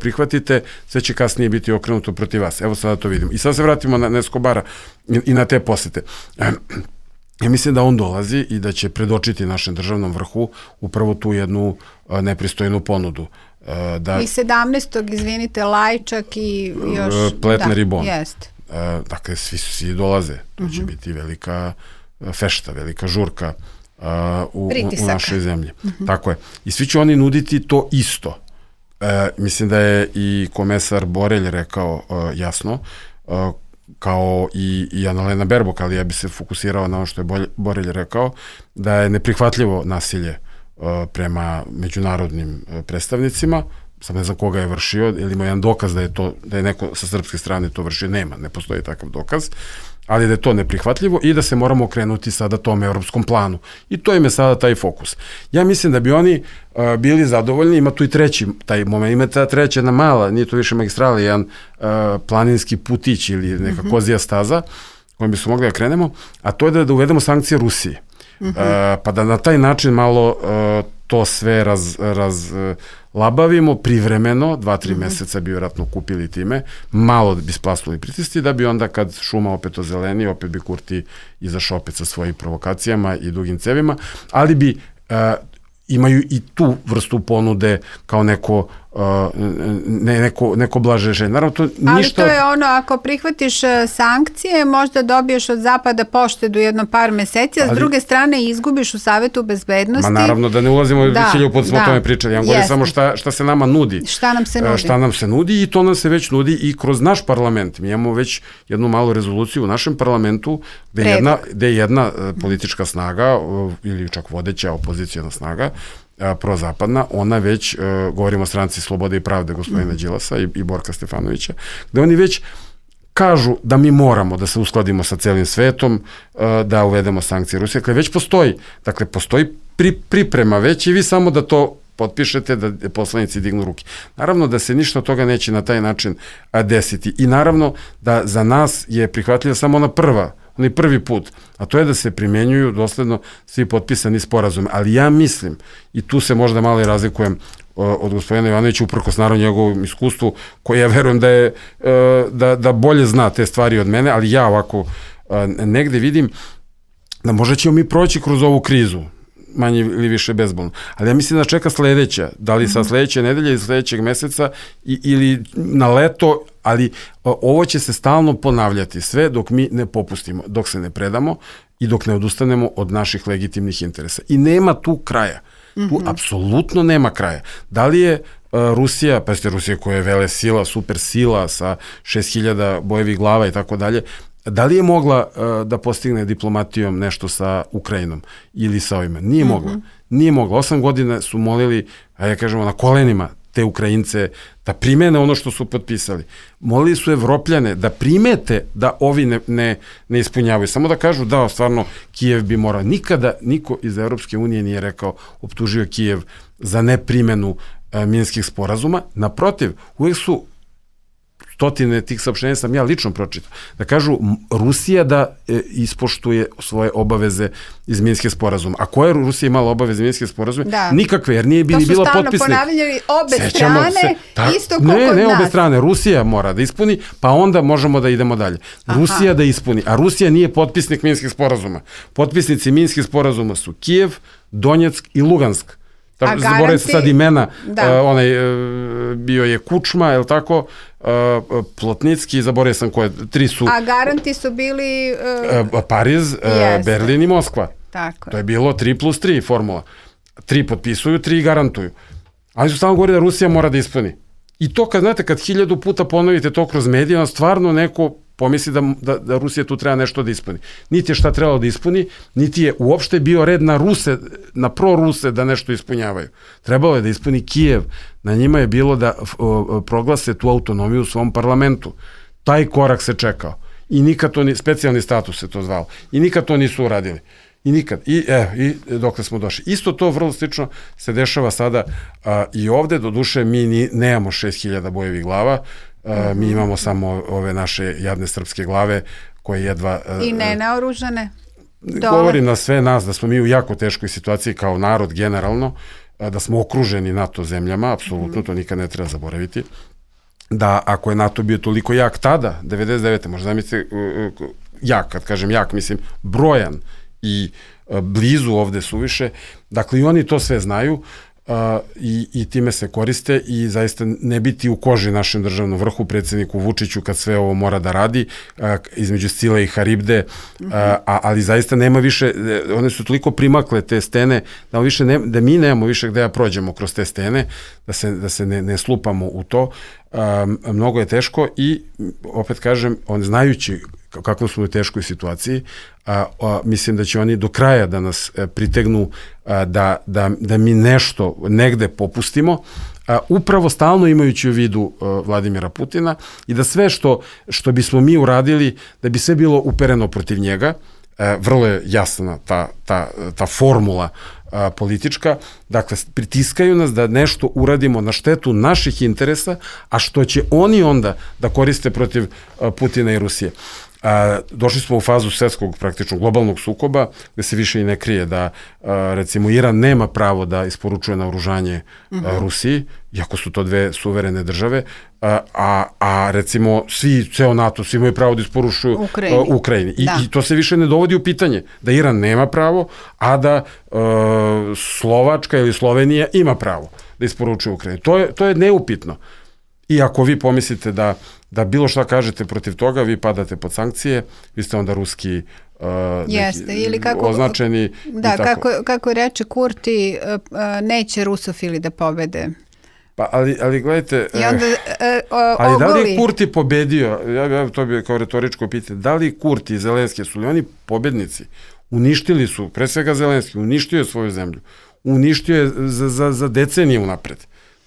prihvatite, sve će kasnije biti okrenuto protiv vas. Evo sada to vidimo. I sad se vratimo na Escobara i, i na te posete. Ja mislim da on dolazi i da će predočiti našem državnom vrhu upravo tu jednu nepristojnu ponudu. Da, I sedamnaestog izvinite, Lajčak i još... Pletner da, i Bon. Jest. Dakle, svi, svi dolaze. To uh-huh. će biti velika fešta, velika žurka uh, u, u našoj zemlji. Uh-huh. Tako je. I svi će oni nuditi to isto. Uh, mislim da je i komesar Borelj rekao uh, jasno, uh, kao i, i Annalena Baerbock, ali ja bi se fokusirao na ono što je Borelj rekao, da je neprihvatljivo nasilje uh, prema međunarodnim uh, predstavnicima. Sam ne znam koga je vršio, ili ima jedan dokaz da je to, da je neko sa srpske strane to vršio, nema, ne postoji takav dokaz, ali da je to neprihvatljivo i da se moramo okrenuti sada tom evropskom planu. I to im je sada taj fokus. Ja mislim da bi oni uh, bili zadovoljni, ima tu i treći taj moment, ima ta treća jedna mala, nije to više magistrala, jedan uh, planinski putić ili neka mm-hmm. kozija staza kojom bi smo mogli da krenemo, a to je da, da uvedemo sankcije Rusiji. Mm-hmm. Uh, pa da na taj način malo uh, to sve raz, raz uh, labavimo privremeno, dva, tri mm-hmm. meseca bi vjerojatno kupili time, malo bi splasnuli pritisci, da bi onda kad šuma opet ozeleni, opet bi Kurti izašao opet sa svojim provokacijama i dugim cevima, ali bi uh, imaju i tu vrstu ponude kao neko uh, ne, neko, neko blaže rešenje. Naravno, to ništa... Ali to je ono, ako prihvatiš sankcije, možda dobiješ od Zapada poštedu jedno par meseci, a ali... s druge strane izgubiš u Savetu bezbednosti. Ma naravno, da ne ulazimo u hiljadu put smo o tome pričali. Ja govorim samo šta, šta se nama nudi. Šta nam se nudi. Šta nam se nudi i to nam se već nudi i kroz naš parlament. Mi imamo već jednu malu rezoluciju u našem parlamentu gde je jedna, gde je jedna politička snaga ili čak vodeća opozicijna snaga prozapadna, ona već, uh, govorimo o stranci Slobode i pravde gospodina mm. Đilasa i, i Borka Stefanovića, gde oni već kažu da mi moramo da se uskladimo sa celim svetom, uh, da uvedemo sankcije Rusije. Dakle, već postoji, dakle, postoji pri, priprema već i vi samo da to potpišete, da poslanici dignu ruke. Naravno da se ništa od toga neće na taj način desiti i naravno da za nas je prihvatljiva samo ona prva onaj prvi put, a to je da se primenjuju dosledno svi potpisani sporazume. Ali ja mislim, i tu se možda malo i razlikujem od gospodina Ivanovića, uprkos naravno njegovom iskustvu, koje ja verujem da je da, da bolje zna te stvari od mene, ali ja ovako negde vidim da možda ćemo mi proći kroz ovu krizu, manje ili više bezbolno. Ali ja mislim da čeka sledeća, da li sa sledeće nedelje ili sledećeg meseca i, ili na leto, ali ovo će se stalno ponavljati sve dok mi ne popustimo, dok se ne predamo i dok ne odustanemo od naših legitimnih interesa. I nema tu kraja. Tu mm-hmm. apsolutno nema kraja. Da li je uh, Rusija, pa ste Rusija koja je vele sila, super sila sa šest hiljada bojevih glava i tako dalje, Da li je mogla uh, da postigne diplomatijom nešto sa Ukrajinom ili sa ovima? Nije mm-hmm. mogla. Nije mogla. Osam godina su molili, a ja kažemo, na kolenima te Ukrajince da primene ono što su potpisali. Molili su Evropljane da primete da ovi ne, ne, ne ispunjavaju. Samo da kažu da, stvarno, Kijev bi morao. Nikada niko iz Evropske unije nije rekao, optužio Kijev za neprimenu uh, minskih sporazuma. Naprotiv, uvijek su stotine tih saopštenja sam ja lično pročitao, da kažu Rusija da e, ispoštuje svoje obaveze iz Minskih sporazuma. A koje je Rusija imala obaveze iz Minskih sporazuma? Da. Nikakve, jer nije bila potpisnik. To su stalno ponavljali obe strane, se, ta, isto kao ne, kod ne, nas. Ne, obe strane. Rusija mora da ispuni, pa onda možemo da idemo dalje. Aha. Rusija da ispuni, a Rusija nije potpisnik Minskih sporazuma. Potpisnici Minskih sporazuma su Kijev, Donjeck i Lugansk. Tako, zaboravim se sad imena, uh, onaj uh, bio je Kučma, je li tako, uh, Plotnicki, zaboravim sam koje, tri su... A garanti su bili... Uh, uh, Pariz, uh, Berlin i Moskva. Tako. To je bilo tri plus tri formula. Tri potpisuju, tri garantuju. Ali su stalno govori da Rusija mora da ispuni. I to kad, znate, kad hiljadu puta ponovite to kroz medije, stvarno neko pomisli da, da, da Rusija tu treba nešto da ispuni. Niti je šta trebalo da ispuni, niti je uopšte bio red na Ruse, na pro-Ruse da nešto ispunjavaju. Trebalo je da ispuni Kijev. Na njima je bilo da o, proglase tu autonomiju u svom parlamentu. Taj korak se čekao. I nikad to, ni, specijalni status se to zvalo. I nikad to nisu uradili. I nikad. I, evo, i dokle smo došli. Isto to vrlo slično se dešava sada a, i ovde. Doduše, mi ni, nemamo šest hiljada bojevih glava. A, mi imamo samo ove naše jadne srpske glave koje jedva... A, I ne naoružane? Govorim na sve nas da smo mi u jako teškoj situaciji kao narod generalno, a, da smo okruženi NATO zemljama, apsolutno, mm. to nikad ne treba zaboraviti. Da ako je NATO bio toliko jak tada, devedeset devete možda zamislite, jak, kad kažem jak, mislim brojan, i a, blizu ovde suviše, dakle i oni to sve znaju a, i, i time se koriste i zaista ne biti u koži našem državnom vrhu, predsjedniku Vučiću kad sve ovo mora da radi, a, između Scile i Haribde, a, a, ali zaista nema više, one su toliko primakle te stene, da, više ne, da mi nemamo više gde da prođemo kroz te stene, da se, da se ne, ne slupamo u to. A, mnogo je teško i opet kažem, on znajući kako smo u teškoj situaciji, a, a, mislim da će oni do kraja da nas a, pritegnu a, da, da, da mi nešto negde popustimo, a, upravo stalno imajući u vidu a, Vladimira Putina i da sve što, što bismo mi uradili, da bi sve bilo upereno protiv njega, a, vrlo je jasna ta, ta, ta formula a, politička, dakle pritiskaju nas da nešto uradimo na štetu naših interesa, a što će oni onda da koriste protiv a, Putina i Rusije. A, došli smo u fazu svetskog, praktično globalnog sukoba, gde se više i ne krije da, a, recimo, Iran nema pravo da isporučuje naoružanje uh-huh. a, Rusiji, iako su to dve suverene države, a, a, a recimo svi, ceo NATO, svi imaju pravo da isporučuju Ukrajini. A, Ukrajini. I, I to se više ne dovodi u pitanje, da Iran nema pravo, a da a, Slovačka ili Slovenija ima pravo da isporučuje Ukrajini. To je, to je neupitno. I ako vi pomislite da, da bilo šta kažete protiv toga, vi padate pod sankcije, vi ste onda ruski uh, Jeste, ili kako, označeni. Da, kako, kako reče Kurti, uh, neće rusofili da pobede. Pa, ali, ali gledajte, I onda, uh, uh, ali da li je Kurti pobedio, ja, ja to bi kao retoričko pitanje, da li Kurti i Zelenski, su li oni pobednici? Uništili su, pre svega Zelenski, uništio je svoju zemlju, uništio je za, za, za decenije unapred.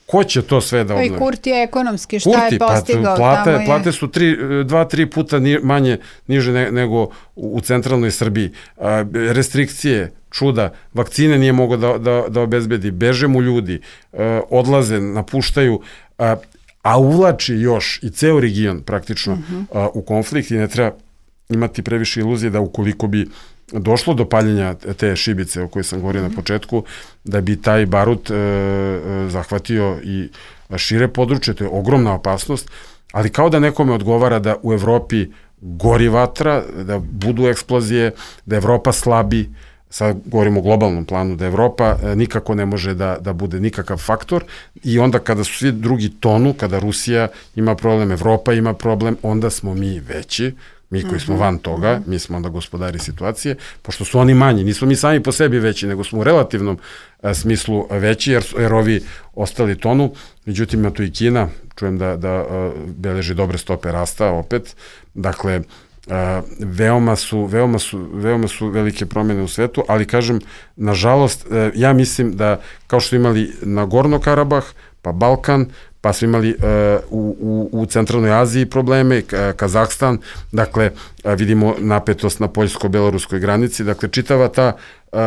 Ko će to sve da obnovi? I Kurti je ekonomski, šta Kurti, je postigao? Pa, plate, tamo je... plate su tri, dva, tri puta ni, manje, niže ne, nego u, u centralnoj Srbiji. A, restrikcije, čuda, vakcine nije mogo da, da, da obezbedi, beže mu ljudi, a, odlaze, napuštaju, a, a uvlači još i ceo region praktično uh-huh. a, u konflikt i ne treba imati previše iluzije da ukoliko bi došlo do paljenja te šibice o kojoj sam govorio mm. na početku, da bi taj barut e, zahvatio i šire područje, to je ogromna opasnost, ali kao da nekome odgovara da u Evropi gori vatra, da budu eksplozije, da Evropa slabi, sad govorimo o globalnom planu, da Evropa e, nikako ne može da, da bude nikakav faktor i onda kada su svi drugi tonu, kada Rusija ima problem, Evropa ima problem, onda smo mi veći, mi koji smo van toga, mi smo onda gospodari situacije, pošto su oni manji, nismo mi sami po sebi veći, nego smo u relativnom a, smislu veći, jer, jer ovi ostali tonu, međutim ima tu i Kina, čujem da, da a, beleži dobre stope rasta opet, dakle, veoma su, veoma su, veoma su velike promjene u svetu, ali kažem, nažalost, ja mislim da kao što imali na Gorno Karabah, pa Balkan, pa smo imali uh, u, u, u centralnoj Aziji probleme, Kazahstan, dakle, vidimo napetost na poljsko-beloruskoj granici, dakle, čitava ta uh,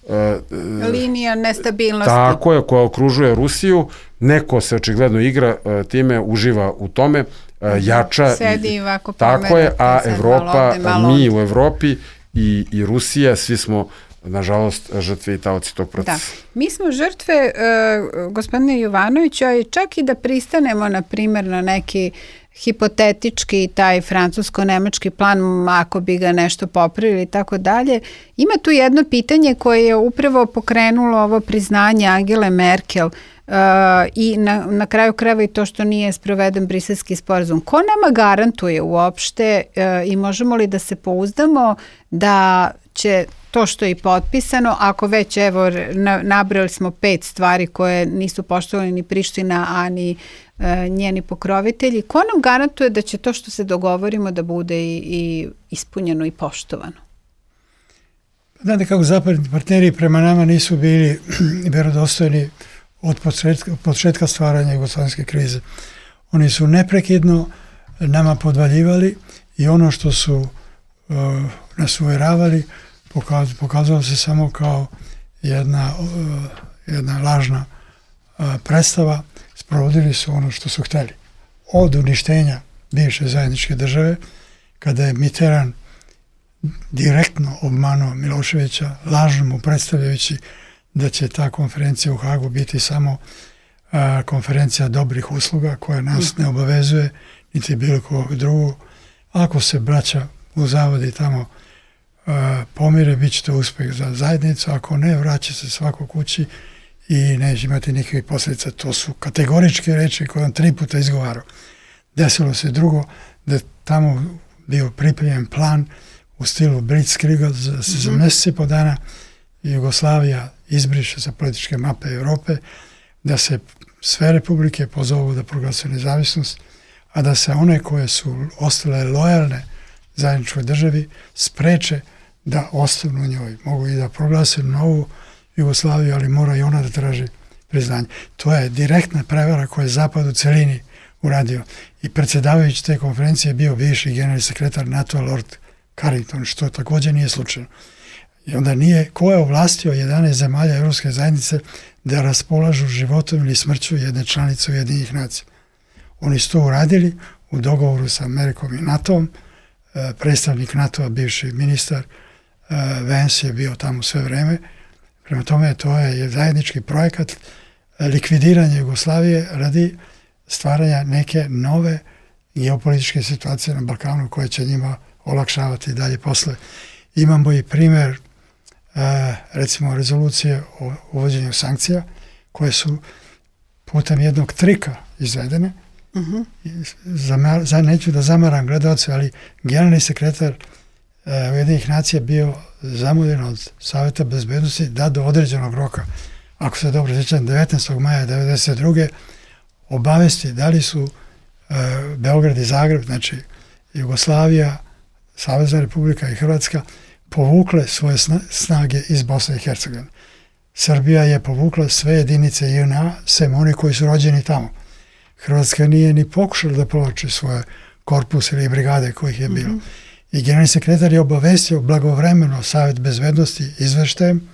uh, linija nestabilnosti. Tako je, koja okružuje Rusiju, neko se očigledno igra uh, time, uživa u tome, uh, jača. Sedi i ovako tako je, a Evropa, mi u Evropi i, i Rusija, svi smo nažalost žrtve i taoci tog procesa. Da. Mi smo žrtve, uh, gospodine Jovanoviću, a čak i da pristanemo, na primjer, na neki hipotetički taj francusko-nemački plan, ako bi ga nešto popravili i tako dalje. Ima tu jedno pitanje koje je upravo pokrenulo ovo priznanje Angele Merkel uh, i na, na kraju krajeva i to što nije sproveden briselski sporazum. Ko nama garantuje uopšte uh, i možemo li da se pouzdamo da će to što je i potpisano, ako već, evo, nabrali smo pet stvari koje nisu poštovali ni Priština, a ni e, njeni pokrovitelji, ko nam garantuje da će to što se dogovorimo da bude i, i ispunjeno i poštovano? Znate kako zapadni partneri prema nama nisu bili vjerodostojni od početka, početka stvaranja jugoslovenske krize. Oni su neprekidno nama podvaljivali i ono što su uh, nas uvjeravali pokazalo se samo kao jedna, uh, jedna lažna uh, predstava. Sprovodili su ono što su htjeli. Od uništenja bivše zajedničke države, kada je Mitterrand direktno obmanuo Miloševića, lažno mu predstavljajući da će ta konferencija u Hagu biti samo uh, konferencija dobrih usluga koja nas ne obavezuje, niti bilo kog drugog. Ako se braća u zavodi tamo Uh, pomire, bit će to uspjeh za zajednicu, ako ne, vraća se svako kući i neće imati nikakvih posljedica. To su kategoričke reči koje on tri puta izgovarao. Desilo se drugo, da tamo bio pripremljen plan u stilu Blitzkriega za, se za mjesec i po dana Jugoslavija izbriše sa političke mape Europe, da se sve republike pozovu da proglase nezavisnost, a da se one koje su ostale lojalne zajedničkoj državi spreče da ostanu u njoj. Mogu i da proglase novu Jugoslaviju, ali mora i ona da traži priznanje. To je direktna prevara koja je Zapad u celini uradio. I predsjedavajući te konferencije je bio bivši generalni sekretar NATO-a Lord Carrington, što također nije slučajno. I onda nije, ko je ovlastio jedanaest zemalja Europske zajednice da raspolažu životom ili smrću jedne članice Ujedinjenih nacija. Oni su to uradili u dogovoru sa Amerikom i NATO-om. Predstavnik NATO-a, bivši ministar Vance je bio tamo sve vreme. Prema tome, to je zajednički projekat likvidiranja Jugoslavije radi stvaranja neke nove geopolitičke situacije na Balkanu koje će njima olakšavati dalje posle. Imamo i primjer recimo rezolucije o uvođenju sankcija koje su putem jednog trika izvedene. Uh-huh. Za, za, neću da zamaram gledalce, ali generalni sekretar uh, Ujedinjenih nacija bio zamoljen od Saveta bezbednosti da do određenog roka, ako se dobro sjećam, devetnaestog maja devedeset druge obavesti da li su uh, Beograd i Zagreb, znači Jugoslavija, Savezna Republika i Hrvatska povukle svoje snage iz Bosne i Hercegovine. Srbija je povukla sve jedinice J N A, sem oni koji su rođeni tamo. Hrvatska nije ni pokušala da povlači svoje korpus ili brigade kojih je bilo. Mm-hmm. I generalni sekretar je obavestio blagovremeno Savet bezbednosti izveštajem,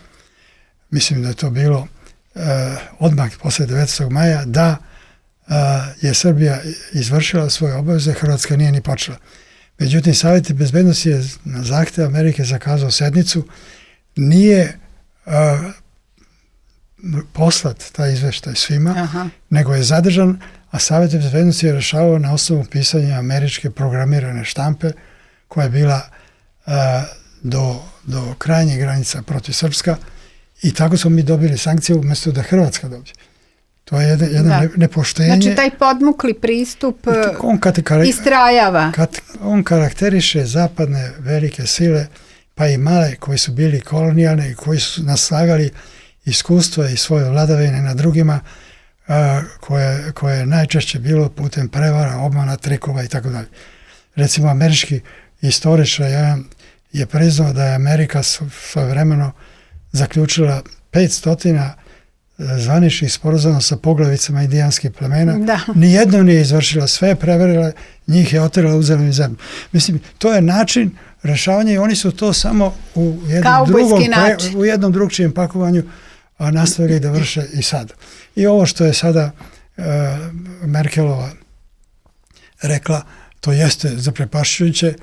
mislim da je to bilo uh, odmah posle devetnaestog maja, da uh, je Srbija izvršila svoje obaveze, Hrvatska nije ni počela. Međutim, Savet bezbednosti je na zahtev Amerike zakazao sednicu, nije uh, poslat taj izveštaj svima, Aha. nego je zadržan, a Savet bezbednosti je rešavao na osnovu pisanja američke programirane štampe koja je bila uh, do, do krajnjih granica protiv Srpska i tako smo mi dobili sankcije umjesto da Hrvatska dobije. To je jedno, jedno ne, nepoštenje. Znači taj podmukli pristup on kategori, istrajava. Kat, on karakteriše zapadne velike sile, pa i male koji su bili kolonijalne i koji su naslagali iskustva i svoje vladavine na drugima, a, koje, koje je najčešće bilo putem prevara, obmana, trikova i tako dalje. Recimo, američki istoričar jedan je priznao da je Amerika svojevremeno zaključila petstotina zvaničnih sporazuma sa poglavicama indijanskih plemena. Da. Nijedno nije izvršila, sve je preverila, njih je oterala, uzela im zemlju. Mislim, to je način rešavanja i oni su to samo u jednom, drugom, pre, u jednom drugčijem pakovanju a nastavili da vrše i sada. I ovo što je sada uh, Merkelova rekla, to jeste zaprepašćujuće,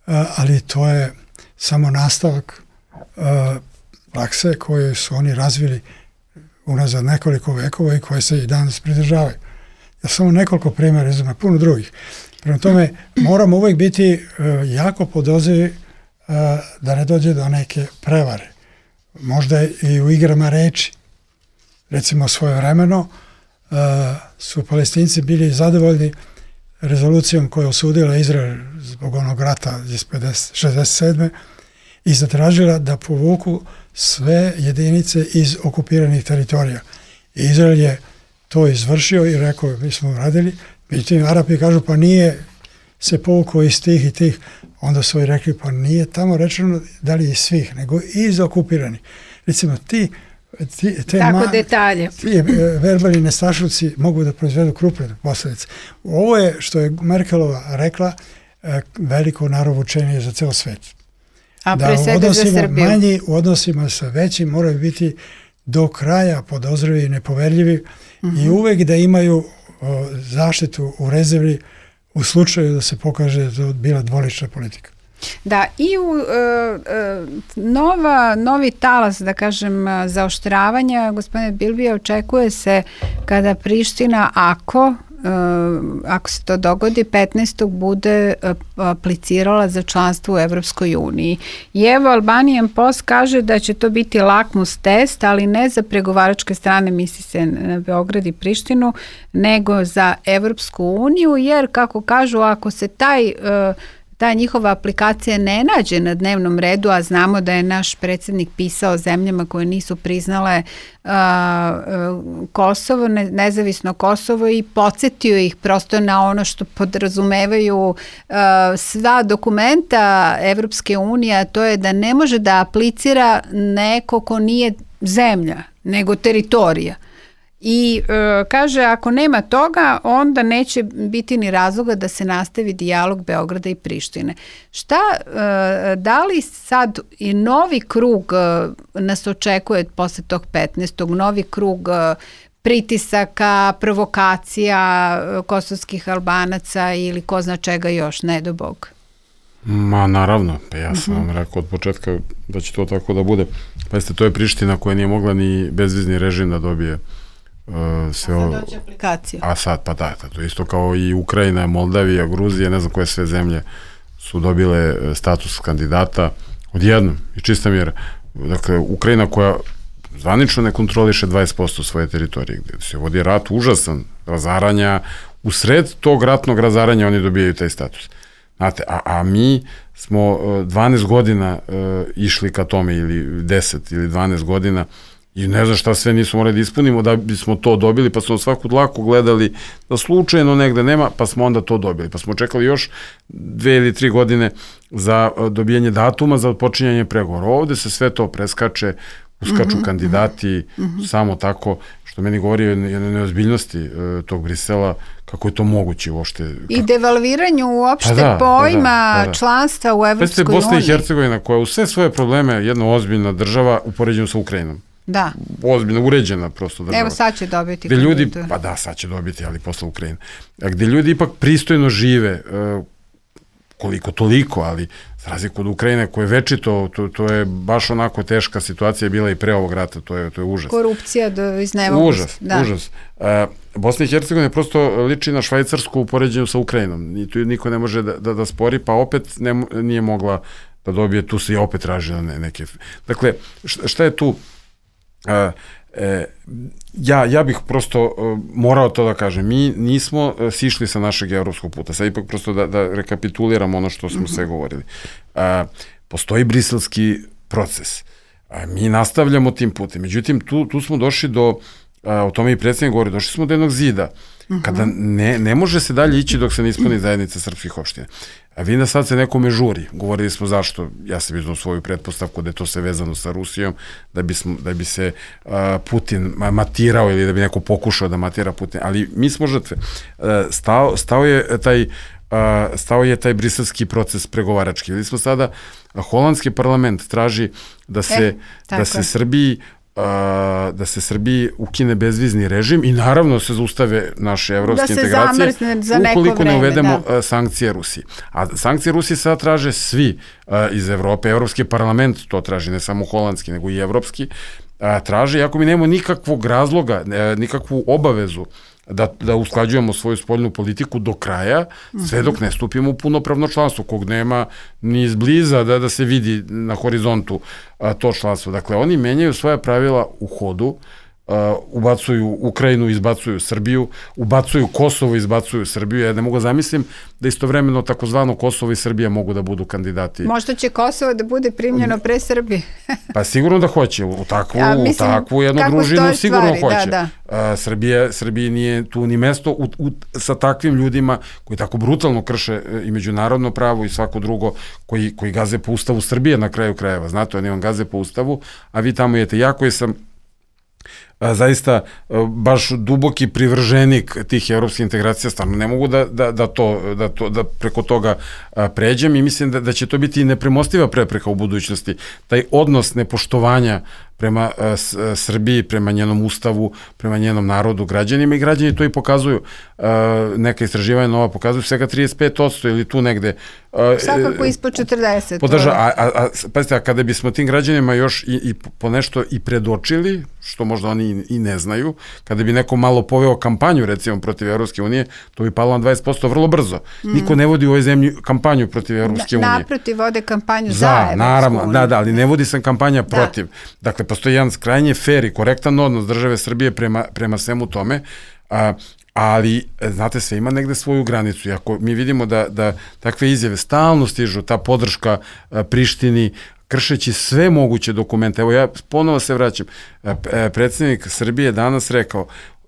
uh, ali to je samo nastavak uh, prakse koje su oni razvili unazad nekoliko vekova i koje se i danas pridržavaju. Ja samo nekoliko primjera, izgleda puno drugih. Prema tome, moramo uvijek biti uh, jako podozrivi uh, da ne dođe do neke prevare. Možda i u igrama reči. Recimo svojevremeno uh, su Palestinci bili zadovoljni rezolucijom koja je osudila Izrael zbog onog rata iz šezdeset sedme i zatražila da povuku sve jedinice iz okupiranih teritorija. I Izrael je to izvršio i rekao, mi smo radili, međutim Arapi kažu, pa nije se povukao iz tih i tih. Onda su i rekli, pa nije tamo rečeno da li iz svih, nego iz okupiranih. Recimo, ti, ti te tako ma, detalje. Ti verbalni nestašluci mogu da proizvedu krupne posljedice. Ovo je, što je Merkelova rekla, veliko narovučenje za ceo svet. A da pre svega za Srbiju. Manji u odnosima sa većim moraju biti do kraja podozrivi i nepoverljivi uh-huh. i uvek da imaju o, zaštitu u rezervi u slučaju da se pokaže da je bila dvolična politika. Da, i u e, e, nova, novi talas, da kažem, zaoštravanja, gospodine Bilbija, očekuje se kada Priština, ako ako se to dogodi, petnaestog bude aplicirala za članstvo u Evropskoj uniji. I evo, Albanian Post kaže da će to biti lakmus test, ali ne za pregovaračke strane, misli se na Beograd i Prištinu, nego za Evropsku uniju, jer, kako kažu, ako se taj ta njihova aplikacija ne nađe na dnevnom redu, a znamo da je naš predsjednik pisao zemljama koje nisu priznale uh, uh, Kosovo, ne, nezavisno Kosovo i podsjetio ih prosto na ono što podrazumevaju uh, sva dokumenta Evropske unije, a to je da ne može da aplicira neko ko nije zemlja, nego teritorija. I e, kaže, ako nema toga, onda neće biti ni razloga da se nastavi dijalog Beograda i Prištine. Šta, e, da li sad i novi krug e, nas očekuje posle tog petnaestog, novi krug e, pritisaka, provokacija e, kosovskih Albanaca ili ko zna čega još, ne do Bog? Ma naravno, pa ja sam vam rekao od početka da će to tako da bude. Pa jeste, to je Priština koja nije mogla ni bezvizni režim da dobije. Uh, sve a sad dođe aplikacija. A sad, pa da, to je isto kao i Ukrajina, Moldavija, Gruzija, ne znam koje sve zemlje su dobile status kandidata odjednom i čista mjera. Dakle, Ukrajina koja zvanično ne kontroliše dvadeset posto svoje teritorije, gde se vodi rat užasan, razaranja, u sred tog ratnog razaranja oni dobijaju taj status. Znate, a, a mi smo dvanaest godina uh, išli ka tome, ili deset ili dvanaest godina, i ne znam šta sve nismo morali da ispunimo da bismo to dobili, pa smo svaku dlaku gledali da slučajno negde nema, pa smo onda to dobili. Pa smo čekali još dve ili tri godine za dobijanje datuma za počinjanje pregovora. Ovde se sve to preskače, uskaču mm-hmm. kandidati, mm-hmm. samo tako, što meni govori o jednoj neozbiljnosti e, tog Brisela, kako je to moguće uopšte. Kako... I devalviranju uopšte pa da, pojma pa da, pa da. članstva u Evropskoj uniji. Bosna i Hercegovina, koja u sve svoje probleme jedna ozbiljna država u poređenju sa Ukrajinom. Da. Ozbiljno uređena prosto država. Evo sad će dobiti. Gde ljudi, pa da, sad će dobiti, ali posle Ukrajine. A gde ljudi ipak pristojno žive, koliko toliko, ali za razliku od Ukrajine koje večito, to, to je baš onako teška situacija bila i pre ovog rata, to je, to je užas. Korupcija do iznemoglosti. Užas, da. užas. A, Bosna i Hercegovina prosto liči na Švajcarsku u poređenju sa Ukrajinom. I tu niko ne može da, da, da spori, pa opet ne, nije mogla da dobije, tu se i opet tražila ne, neke... Dakle, šta je tu... Uh, e, ja, ja bih prosto uh, morao to da kažem, mi nismo uh, sišli sa našeg evropskog puta, sad ipak prosto da, da rekapituliramo ono što smo mm-hmm. sve govorili. Uh, postoji briselski proces, uh, mi nastavljamo tim putem, međutim tu, tu smo došli do, uh, o tome i predsjednik govori, došli smo do jednog zida, mm-hmm. kada ne, ne može se dalje ići dok se ne ispuni zajednica srpskih opština. Uh, A vi da sad se nekome žuri. Govorili smo zašto, ja sam iznao svoju pretpostavku da je to sve vezano sa Rusijom, da bi, smo, da bi se uh, Putin matirao ili da bi neko pokušao da matira Putin. Ali mi smo žrtve. Uh, stao, stao je taj Uh, stao je taj briselski proces pregovarački. Videli smo sada, holandski parlament traži da se, e, da se Srbiji uh, da se Srbiji ukine bezvizni režim i naravno se zaustave naše evropske da integracije za ukoliko vreme, ne uvedemo da. uh, sankcije Rusiji. A sankcije Rusije sada traže svi uh, iz Evrope. Evropski parlament to traži, ne samo holandski, nego i evropski. Uh, traže, iako mi nemamo nikakvog razloga, uh, nikakvu obavezu da, da usklađujemo svoju spoljnu politiku do kraja, sve dok ne stupimo u punopravno članstvo, kog nema ni izbliza da, da se vidi na horizontu a, to članstvo. Dakle, oni menjaju svoja pravila u hodu, Uh, ubacuju Ukrajinu, izbacuju Srbiju, ubacuju Kosovo, izbacuju Srbiju. Ja ne mogu zamislim da istovremeno takozvano Kosovo i Srbija mogu da budu kandidati. Možda će Kosovo da bude primljeno pre Srbije. Pa sigurno da hoće. U takvu, ja, mislim, u takvu jednu družinu sigurno stvari, hoće. Da, da. Uh, Srbija, Srbiji nije tu ni mesto u, u, sa takvim ljudima koji tako brutalno krše i međunarodno pravo i svako drugo, koji, koji gaze po ustavu Srbije na kraju krajeva. Znate, oni vam gaze po ustavu, a vi tamo jete. Ja koji sam A, zaista baš duboki privrženik tih evropskih integracija, stvarno ne mogu da, da, da, to, da, to, da preko toga a, pređem i mislim da, da će to biti nepremostiva prepreka u budućnosti. Taj odnos nepoštovanja prema a, s, a, Srbiji, prema njenom ustavu, prema njenom narodu, građanima i građani to i pokazuju. A, neka istraživanja nova pokazuju svega trideset pet posto ili tu negde. A, Svakako ispod četrdeset. Podrža, a, a, a, pazite, a kada bismo tim građanima još i, i po nešto i predočili, što možda oni i, i ne znaju, kada bi neko malo poveo kampanju recimo protiv Evropske unije, to bi palo na dvadeset posto vrlo brzo. Mm. Niko ne vodi u ovoj zemlji kampanju protiv Evropske unije. Naprotiv, vode kampanju za, za Evropsku naravno, uniju. Da, da, ali ne vodi se kampanja protiv. Da. Dakle, postoji jedan krajnje fer i korektan odnos države Srbije prema, prema svemu tome, a, ali, znate, sve ima negde svoju granicu. I ako mi vidimo da, da takve izjave stalno stižu, ta podrška a, Prištini, kršeći sve moguće dokumente. Evo ja ponovo se vraćam. Predsjednik Srbije je danas rekao,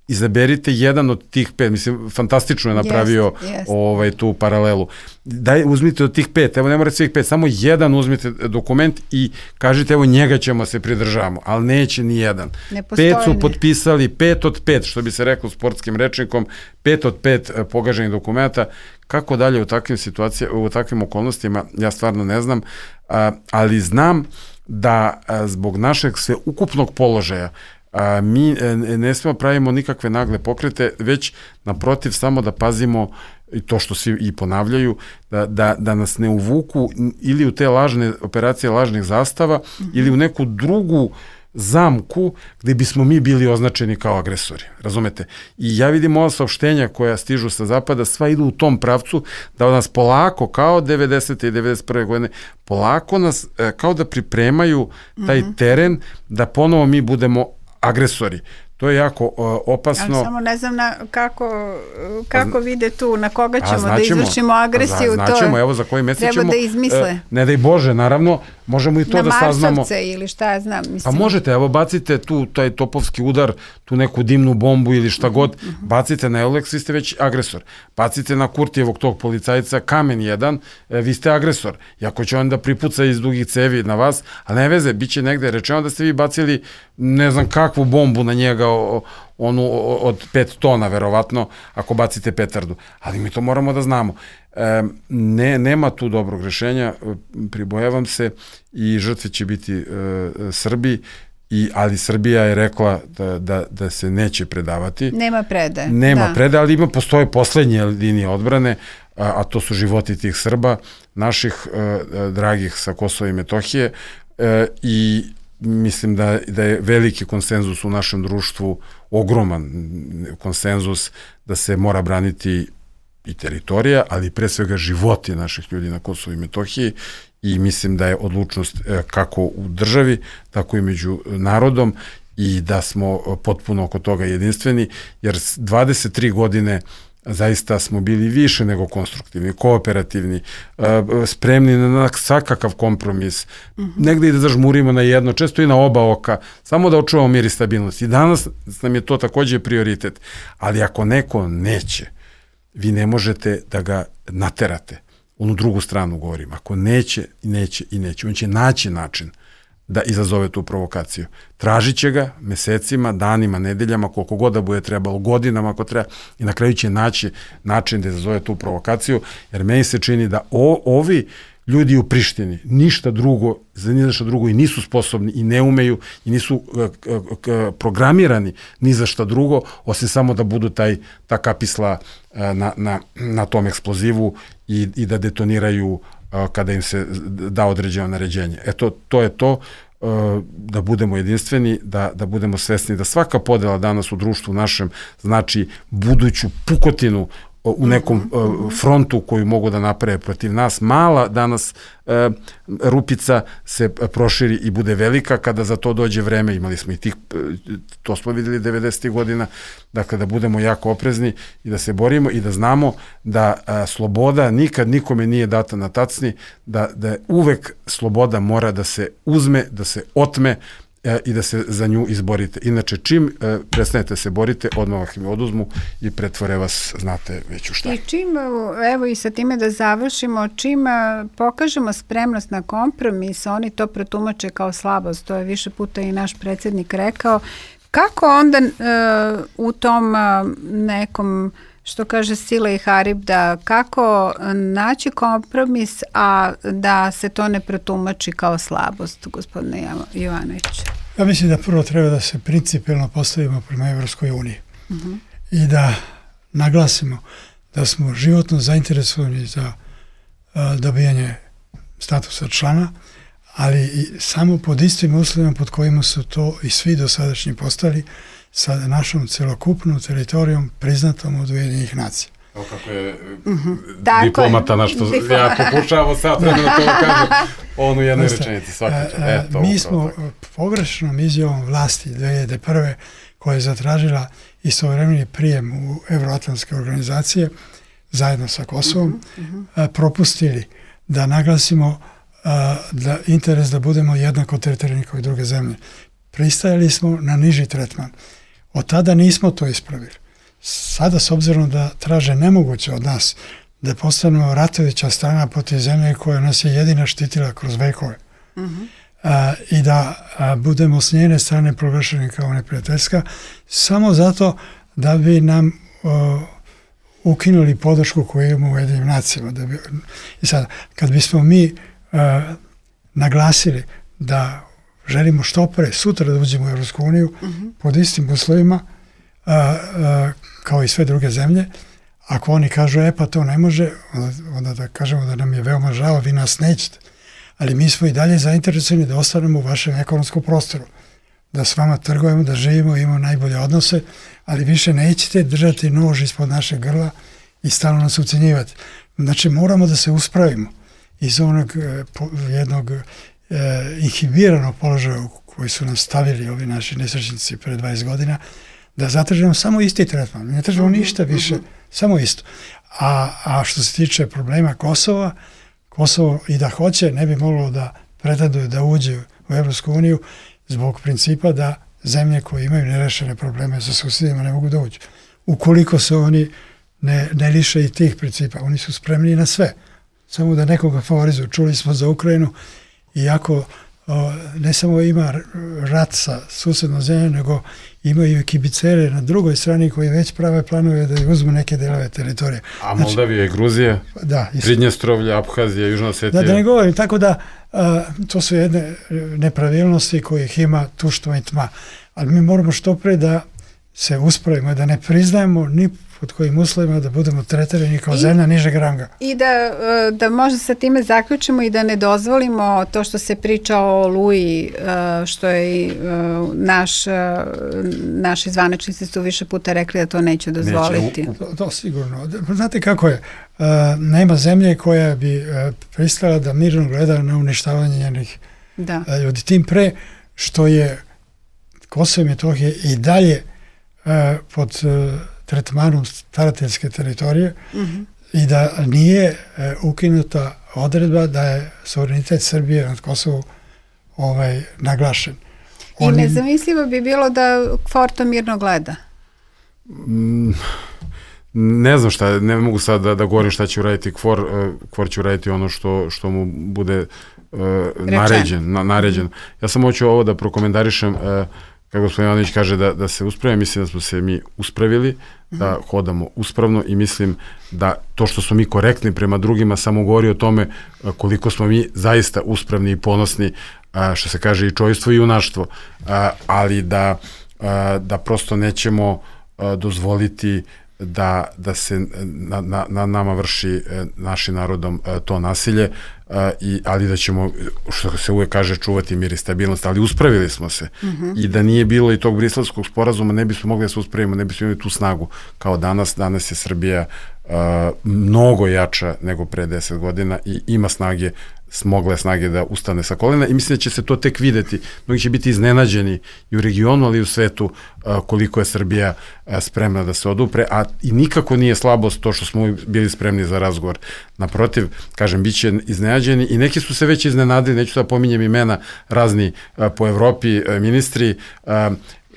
izaberite jedan od tih pet, mislim, fantastično je napravio yes, yes. Ovaj, tu paralelu. Daj, uzmite od tih pet, evo ne morate svih pet, samo jedan uzmite dokument i kažite, evo njega ćemo se pridržavamo, ali neće ni jedan. Pet su potpisali, pet od pet, što bi se reklo sportskim rečnikom, pet od pet pogaženih dokumenta. Kako dalje u takvim situacijama, u takvim okolnostima, ja stvarno ne znam, a, ali znam da a, zbog našeg sveukupnog položaja a, mi ne smemo pravimo nikakve nagle pokrete, već naprotiv samo da pazimo i to što svi i ponavljaju, da, da, da nas ne uvuku ili u te lažne operacije lažnih zastava mm-hmm. ili u neku drugu zamku gde bismo mi bili označeni kao agresori, razumete? I ja vidim ova saopštenja koja stižu sa zapada, sva idu u tom pravcu da nas polako, kao devedesete i devedeset prve godine, polako nas kao da pripremaju taj mm-hmm. teren da ponovo mi budemo agresori. To je jako uh, opasno. Ali samo ne znam na kako, kako vide tu, na koga ćemo da izvršimo agresiju. Pa znaćemo, evo za koji mesec ćemo. Treba da izmisle. Uh, ne daj Bože, naravno, možemo i to na da saznamo. Na Marsovce ili šta ja znam. Mislim. Pa možete, evo bacite tu taj topovski udar, tu neku dimnu bombu ili šta god, mm-hmm. bacite na Eulex, vi ste već agresor. Bacite na Kurtijevog tog policajca kamen jedan, e, vi ste agresor. I ako će on da pripuca iz dugih cevi na vas, a ne veze, bit će negde rečeno da ste vi bacili ne znam kakvu bombu na njega, o, onu od pet tona, verovatno, ako bacite petardu. Ali mi to moramo da znamo. E, ne, nema tu dobrog rešenja, pribojavam se i žrtve će biti e, Srbi, i, ali Srbija je rekla da, da, da se neće predavati. Nema predaje. Nema da. predaje, ali ima, postoje poslednje linije odbrane, a, a to su životi tih Srba, naših e, dragih sa Kosova i Metohije e, i mislim da, da je veliki konsenzus u našem društvu, ogroman konsenzus da se mora braniti i teritorija, ali pre svega životi naših ljudi na Kosovu i Metohiji i mislim da je odlučnost kako u državi, tako i među narodom i da smo potpuno oko toga jedinstveni, jer dvadeset tri godine zaista smo bili više nego konstruktivni, kooperativni, spremni na svakakav kompromis, mm-hmm. negde i da zažmurimo na jedno, često i na oba oka, samo da očuvamo mir i stabilnost. I danas nam je to takođe prioritet. Ali ako neko neće, vi ne možete da ga naterate. onu drugu stranu govorim, ako neće, neće i neće, on će naći način da izazove tu provokaciju. Tražit će ga mesecima, danima, nedeljama, koliko god da bude trebalo, godinama ako treba, i na kraju će naći način da izazove tu provokaciju, jer meni se čini da o, ovi ljudi u Prištini ništa drugo, za ništa drugo i nisu sposobni i ne umeju i nisu uh, uh, programirani ni za šta drugo, osim samo da budu taj, ta kapisla uh, na, na, na tom eksplozivu i, i da detoniraju uh, kada im se da određeno naređenje. Eto, to je to, uh, da budemo jedinstveni, da, da budemo svesni da svaka podela danas u društvu našem znači buduću pukotinu u nekom uh, frontu koju mogu da naprave protiv nas. Mala danas uh, rupica se proširi i bude velika kada za to dođe vreme. Imali smo i tih, to smo videli devedesetih godina, dakle da budemo jako oprezni i da se borimo i da znamo da uh, sloboda nikad nikome nije data na tacni, da, da uvek sloboda mora da se uzme, da se otme i da se za nju izborite. Inače, čim e, prestanete se borite, odmah im oduzmu i pretvore vas, znate već u šta. I čim, evo i sa time da završimo, čim pokažemo spremnost na kompromis, oni to protumače kao slabost, to je više puta i naš predsjednik rekao. Kako onda e, u tom nekom, što kaže Sila i Harib, da kako naći kompromis, a da se to ne protumači kao slabost, gospodine Jovanović? Ja mislim da prvo treba da se principijelno postavimo prema Evropskoj uniji uh-huh. i da naglasimo da smo životno zainteresovani za a, dobijanje statusa člana, ali i samo pod istim uslovima pod kojima su to i svi dosadašnji postali, sa našom celokupnom teritorijom priznatom od Ujedinjenih nacija. Evo kako je mm-hmm. diplomata na što Diploma. ja pokušavam sad da to kažem, on u jednoj rečenici svaki čas. Mi smo pogrešnom izjavom vlasti dve hiljade prve koja je zatražila istovremeni prijem u evroatlantske organizacije zajedno sa Kosovom, mm-hmm. propustili da naglasimo da interes da budemo jednako teritorijalni kao i druge zemlje. Pristajali smo na niži tretman. Od tada nismo to ispravili. Sada, s obzirom da traže nemoguće od nas da postanemo ratovića strana protiv zemlje koja nas je jedina štitila kroz vekove uh-huh. a, i da a, budemo s njene strane proglašeni kao neprijateljska, samo zato da bi nam o, ukinuli podršku koju imamo u Ujedinjenim nacijama. Da bi, i sad, kad bismo mi a, naglasili da želimo što pre sutra da uđemo u Evropsku uniju uh-huh. pod istim uslovima a, a, kao i sve druge zemlje. Ako oni kažu, e pa to ne može, onda, onda da kažemo da nam je veoma žao, vi nas nećete. Ali mi smo i dalje zainteresovani da ostanemo u vašem ekonomskom prostoru. Da s vama trgujemo, da živimo, imamo najbolje odnose, ali više nećete držati nož ispod našeg grla i stalno nas ucenjivati. Znači moramo da se uspravimo iz onog eh, po, jednog eh, inhibiranog položaja u koji su nam stavili ovi naši nesrećnici pre dvadeset godina, da zatražimo samo isti tretman. Ne tražimo ništa više, uh-huh. samo isto. A, a što se tiče problema Kosova, Kosovo i da hoće, ne bi moglo da pretenduje da uđe u Evropsku uniju zbog principa da zemlje koje imaju nerešene probleme sa susjedima ne mogu da uđu. Ukoliko se oni ne, ne liše i tih principa, oni su spremni na sve. Samo da nekoga favorizuju. Čuli smo za Ukrajinu, iako o, ne samo ima rat sa susednom zemljom, nego imaju i kibicere na drugoj strani koji već prave planove da uzmu neke delove teritorije. A Moldavija i Gruzija, da, Pridnjestrovlje, Abhazija, Južna Osetija. Da, da ne govorim, tako da a, to su jedne nepravilnosti kojih ima tuštva i tma. Ali mi moramo što pre da se uspravimo, da ne priznajemo ni pod kojim uslovima da budemo tretirani kao I, zemlja nižeg ranga. I da, da možda sa time zaključimo i da ne dozvolimo to što se priča o Oluji, što je naš, naši zvaničnici su više puta rekli da to neće dozvoliti. Neće, to, to sigurno. Znate kako je? Nema zemlje koja bi pristala da mirno gleda na uništavanje njenih ljudi. Tim pre što je Kosovo i Metohija i dalje pod tretmanom starateljske teritorije uh-huh. i da nije e, ukinuta odredba da je suverenitet Srbije nad Kosovom ovaj, naglašen. Oni... I nezamislivo bi bilo da Forto mirno gleda. Mm, ne znam šta, ne mogu sad da, da govorim šta će uraditi Kvor, Kvor će uraditi ono što, što mu bude uh, naređen, na, naređen. Ja sam hoću ovo da prokomentarišem, uh, kako gospodin Ivanović kaže da, da se uspravimo, mislim da smo se mi uspravili, da hodamo uspravno i mislim da to što smo mi korektni prema drugima samo govori o tome koliko smo mi zaista uspravni i ponosni, što se kaže i čojstvo i junaštvo, ali da, da prosto nećemo dozvoliti da, da se na, na, na nama vrši našim narodom to nasilje, i, ali da ćemo, što se uvek kaže, čuvati mir i stabilnost, ali uspravili smo se. Mm-hmm. I da nije bilo i tog Briselskog sporazuma, ne bismo mogli da se uspravimo, ne bismo imali tu snagu kao danas. Danas je Srbija uh, mnogo jača nego pre deset godina i ima snage, smogle snage da ustane sa kolena i mislim da će se to tek videti. Mnogi će biti iznenađeni i u regionu, ali i u svetu koliko je Srbija spremna da se odupre, a i nikako nije slabost to što smo bili spremni za razgovor. Naprotiv, kažem, bit će iznenađeni i neki su se već iznenadili, neću da pominjem imena, razni po Evropi ministri,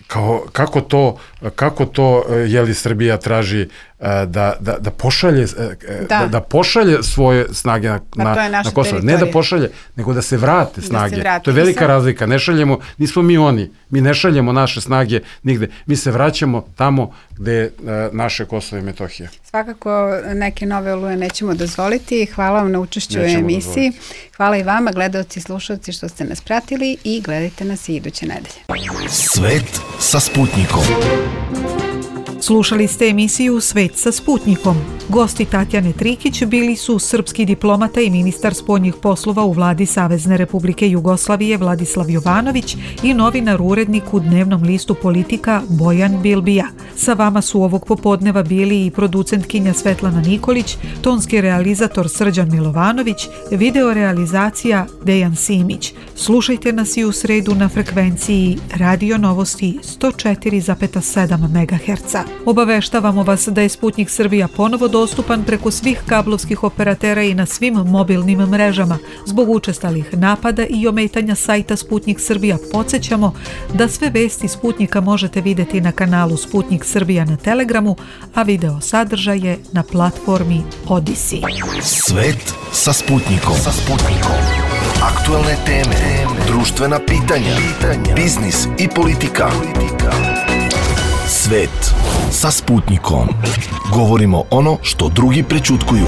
kao, kako to, kako to je li Srbija traži da, da, da pošalje da. Da, da pošalje svoje snage na, na, na Kosovo. Ne da pošalje, nego da se vrate snage. Da se vrate. To je velika sam... razlika. Ne šaljemo, nismo mi oni. Mi ne šaljemo naše snage nigde. Mi se vraćamo tamo gde je naše Kosovo i Metohija. Svakako neke nove oluje nećemo dozvoliti. Hvala vam na učešću u emisiji. Dozvoliti. Hvala i vama, gledalci i slušalci, što ste nas pratili i gledajte nas i iduće nedelje. Svet sa Sputnikom. Slušali ste emisiju Svet sa Sputnikom. Gosti Tatjane Trikić bili su srpski diplomata i ministar spoljnih poslova u vladi Savezne Republike Jugoslavije Vladislav Jovanović i novinar urednik u dnevnom listu Politika Bojan Bilbija. Sa vama su ovog popodneva bili i producentkinja Svetlana Nikolić, tonski realizator Srđan Milovanović, video realizacija Dejan Simić. Slušajte nas i u sredu na frekvenciji Radio Novosti sto četiri zarez sedam megaherca. Obaveštavamo vas da je Sputnik Srbija ponovo dostupan preko svih kablovskih operatera i na svim mobilnim mrežama. Zbog učestalih napada i ometanja sajta Sputnik Srbija podsjećamo da sve vesti Sputnika možete vidjeti na kanalu Sputnik Srbija na Telegramu, a video sadržaje na platformi Odisi. Svet sa Sputnikom. Sa Sputnikom. Aktualne teme, društvena pitanja, biznis i politika. Svet sa Sputnikom. Govorimo ono što drugi prećutkuju.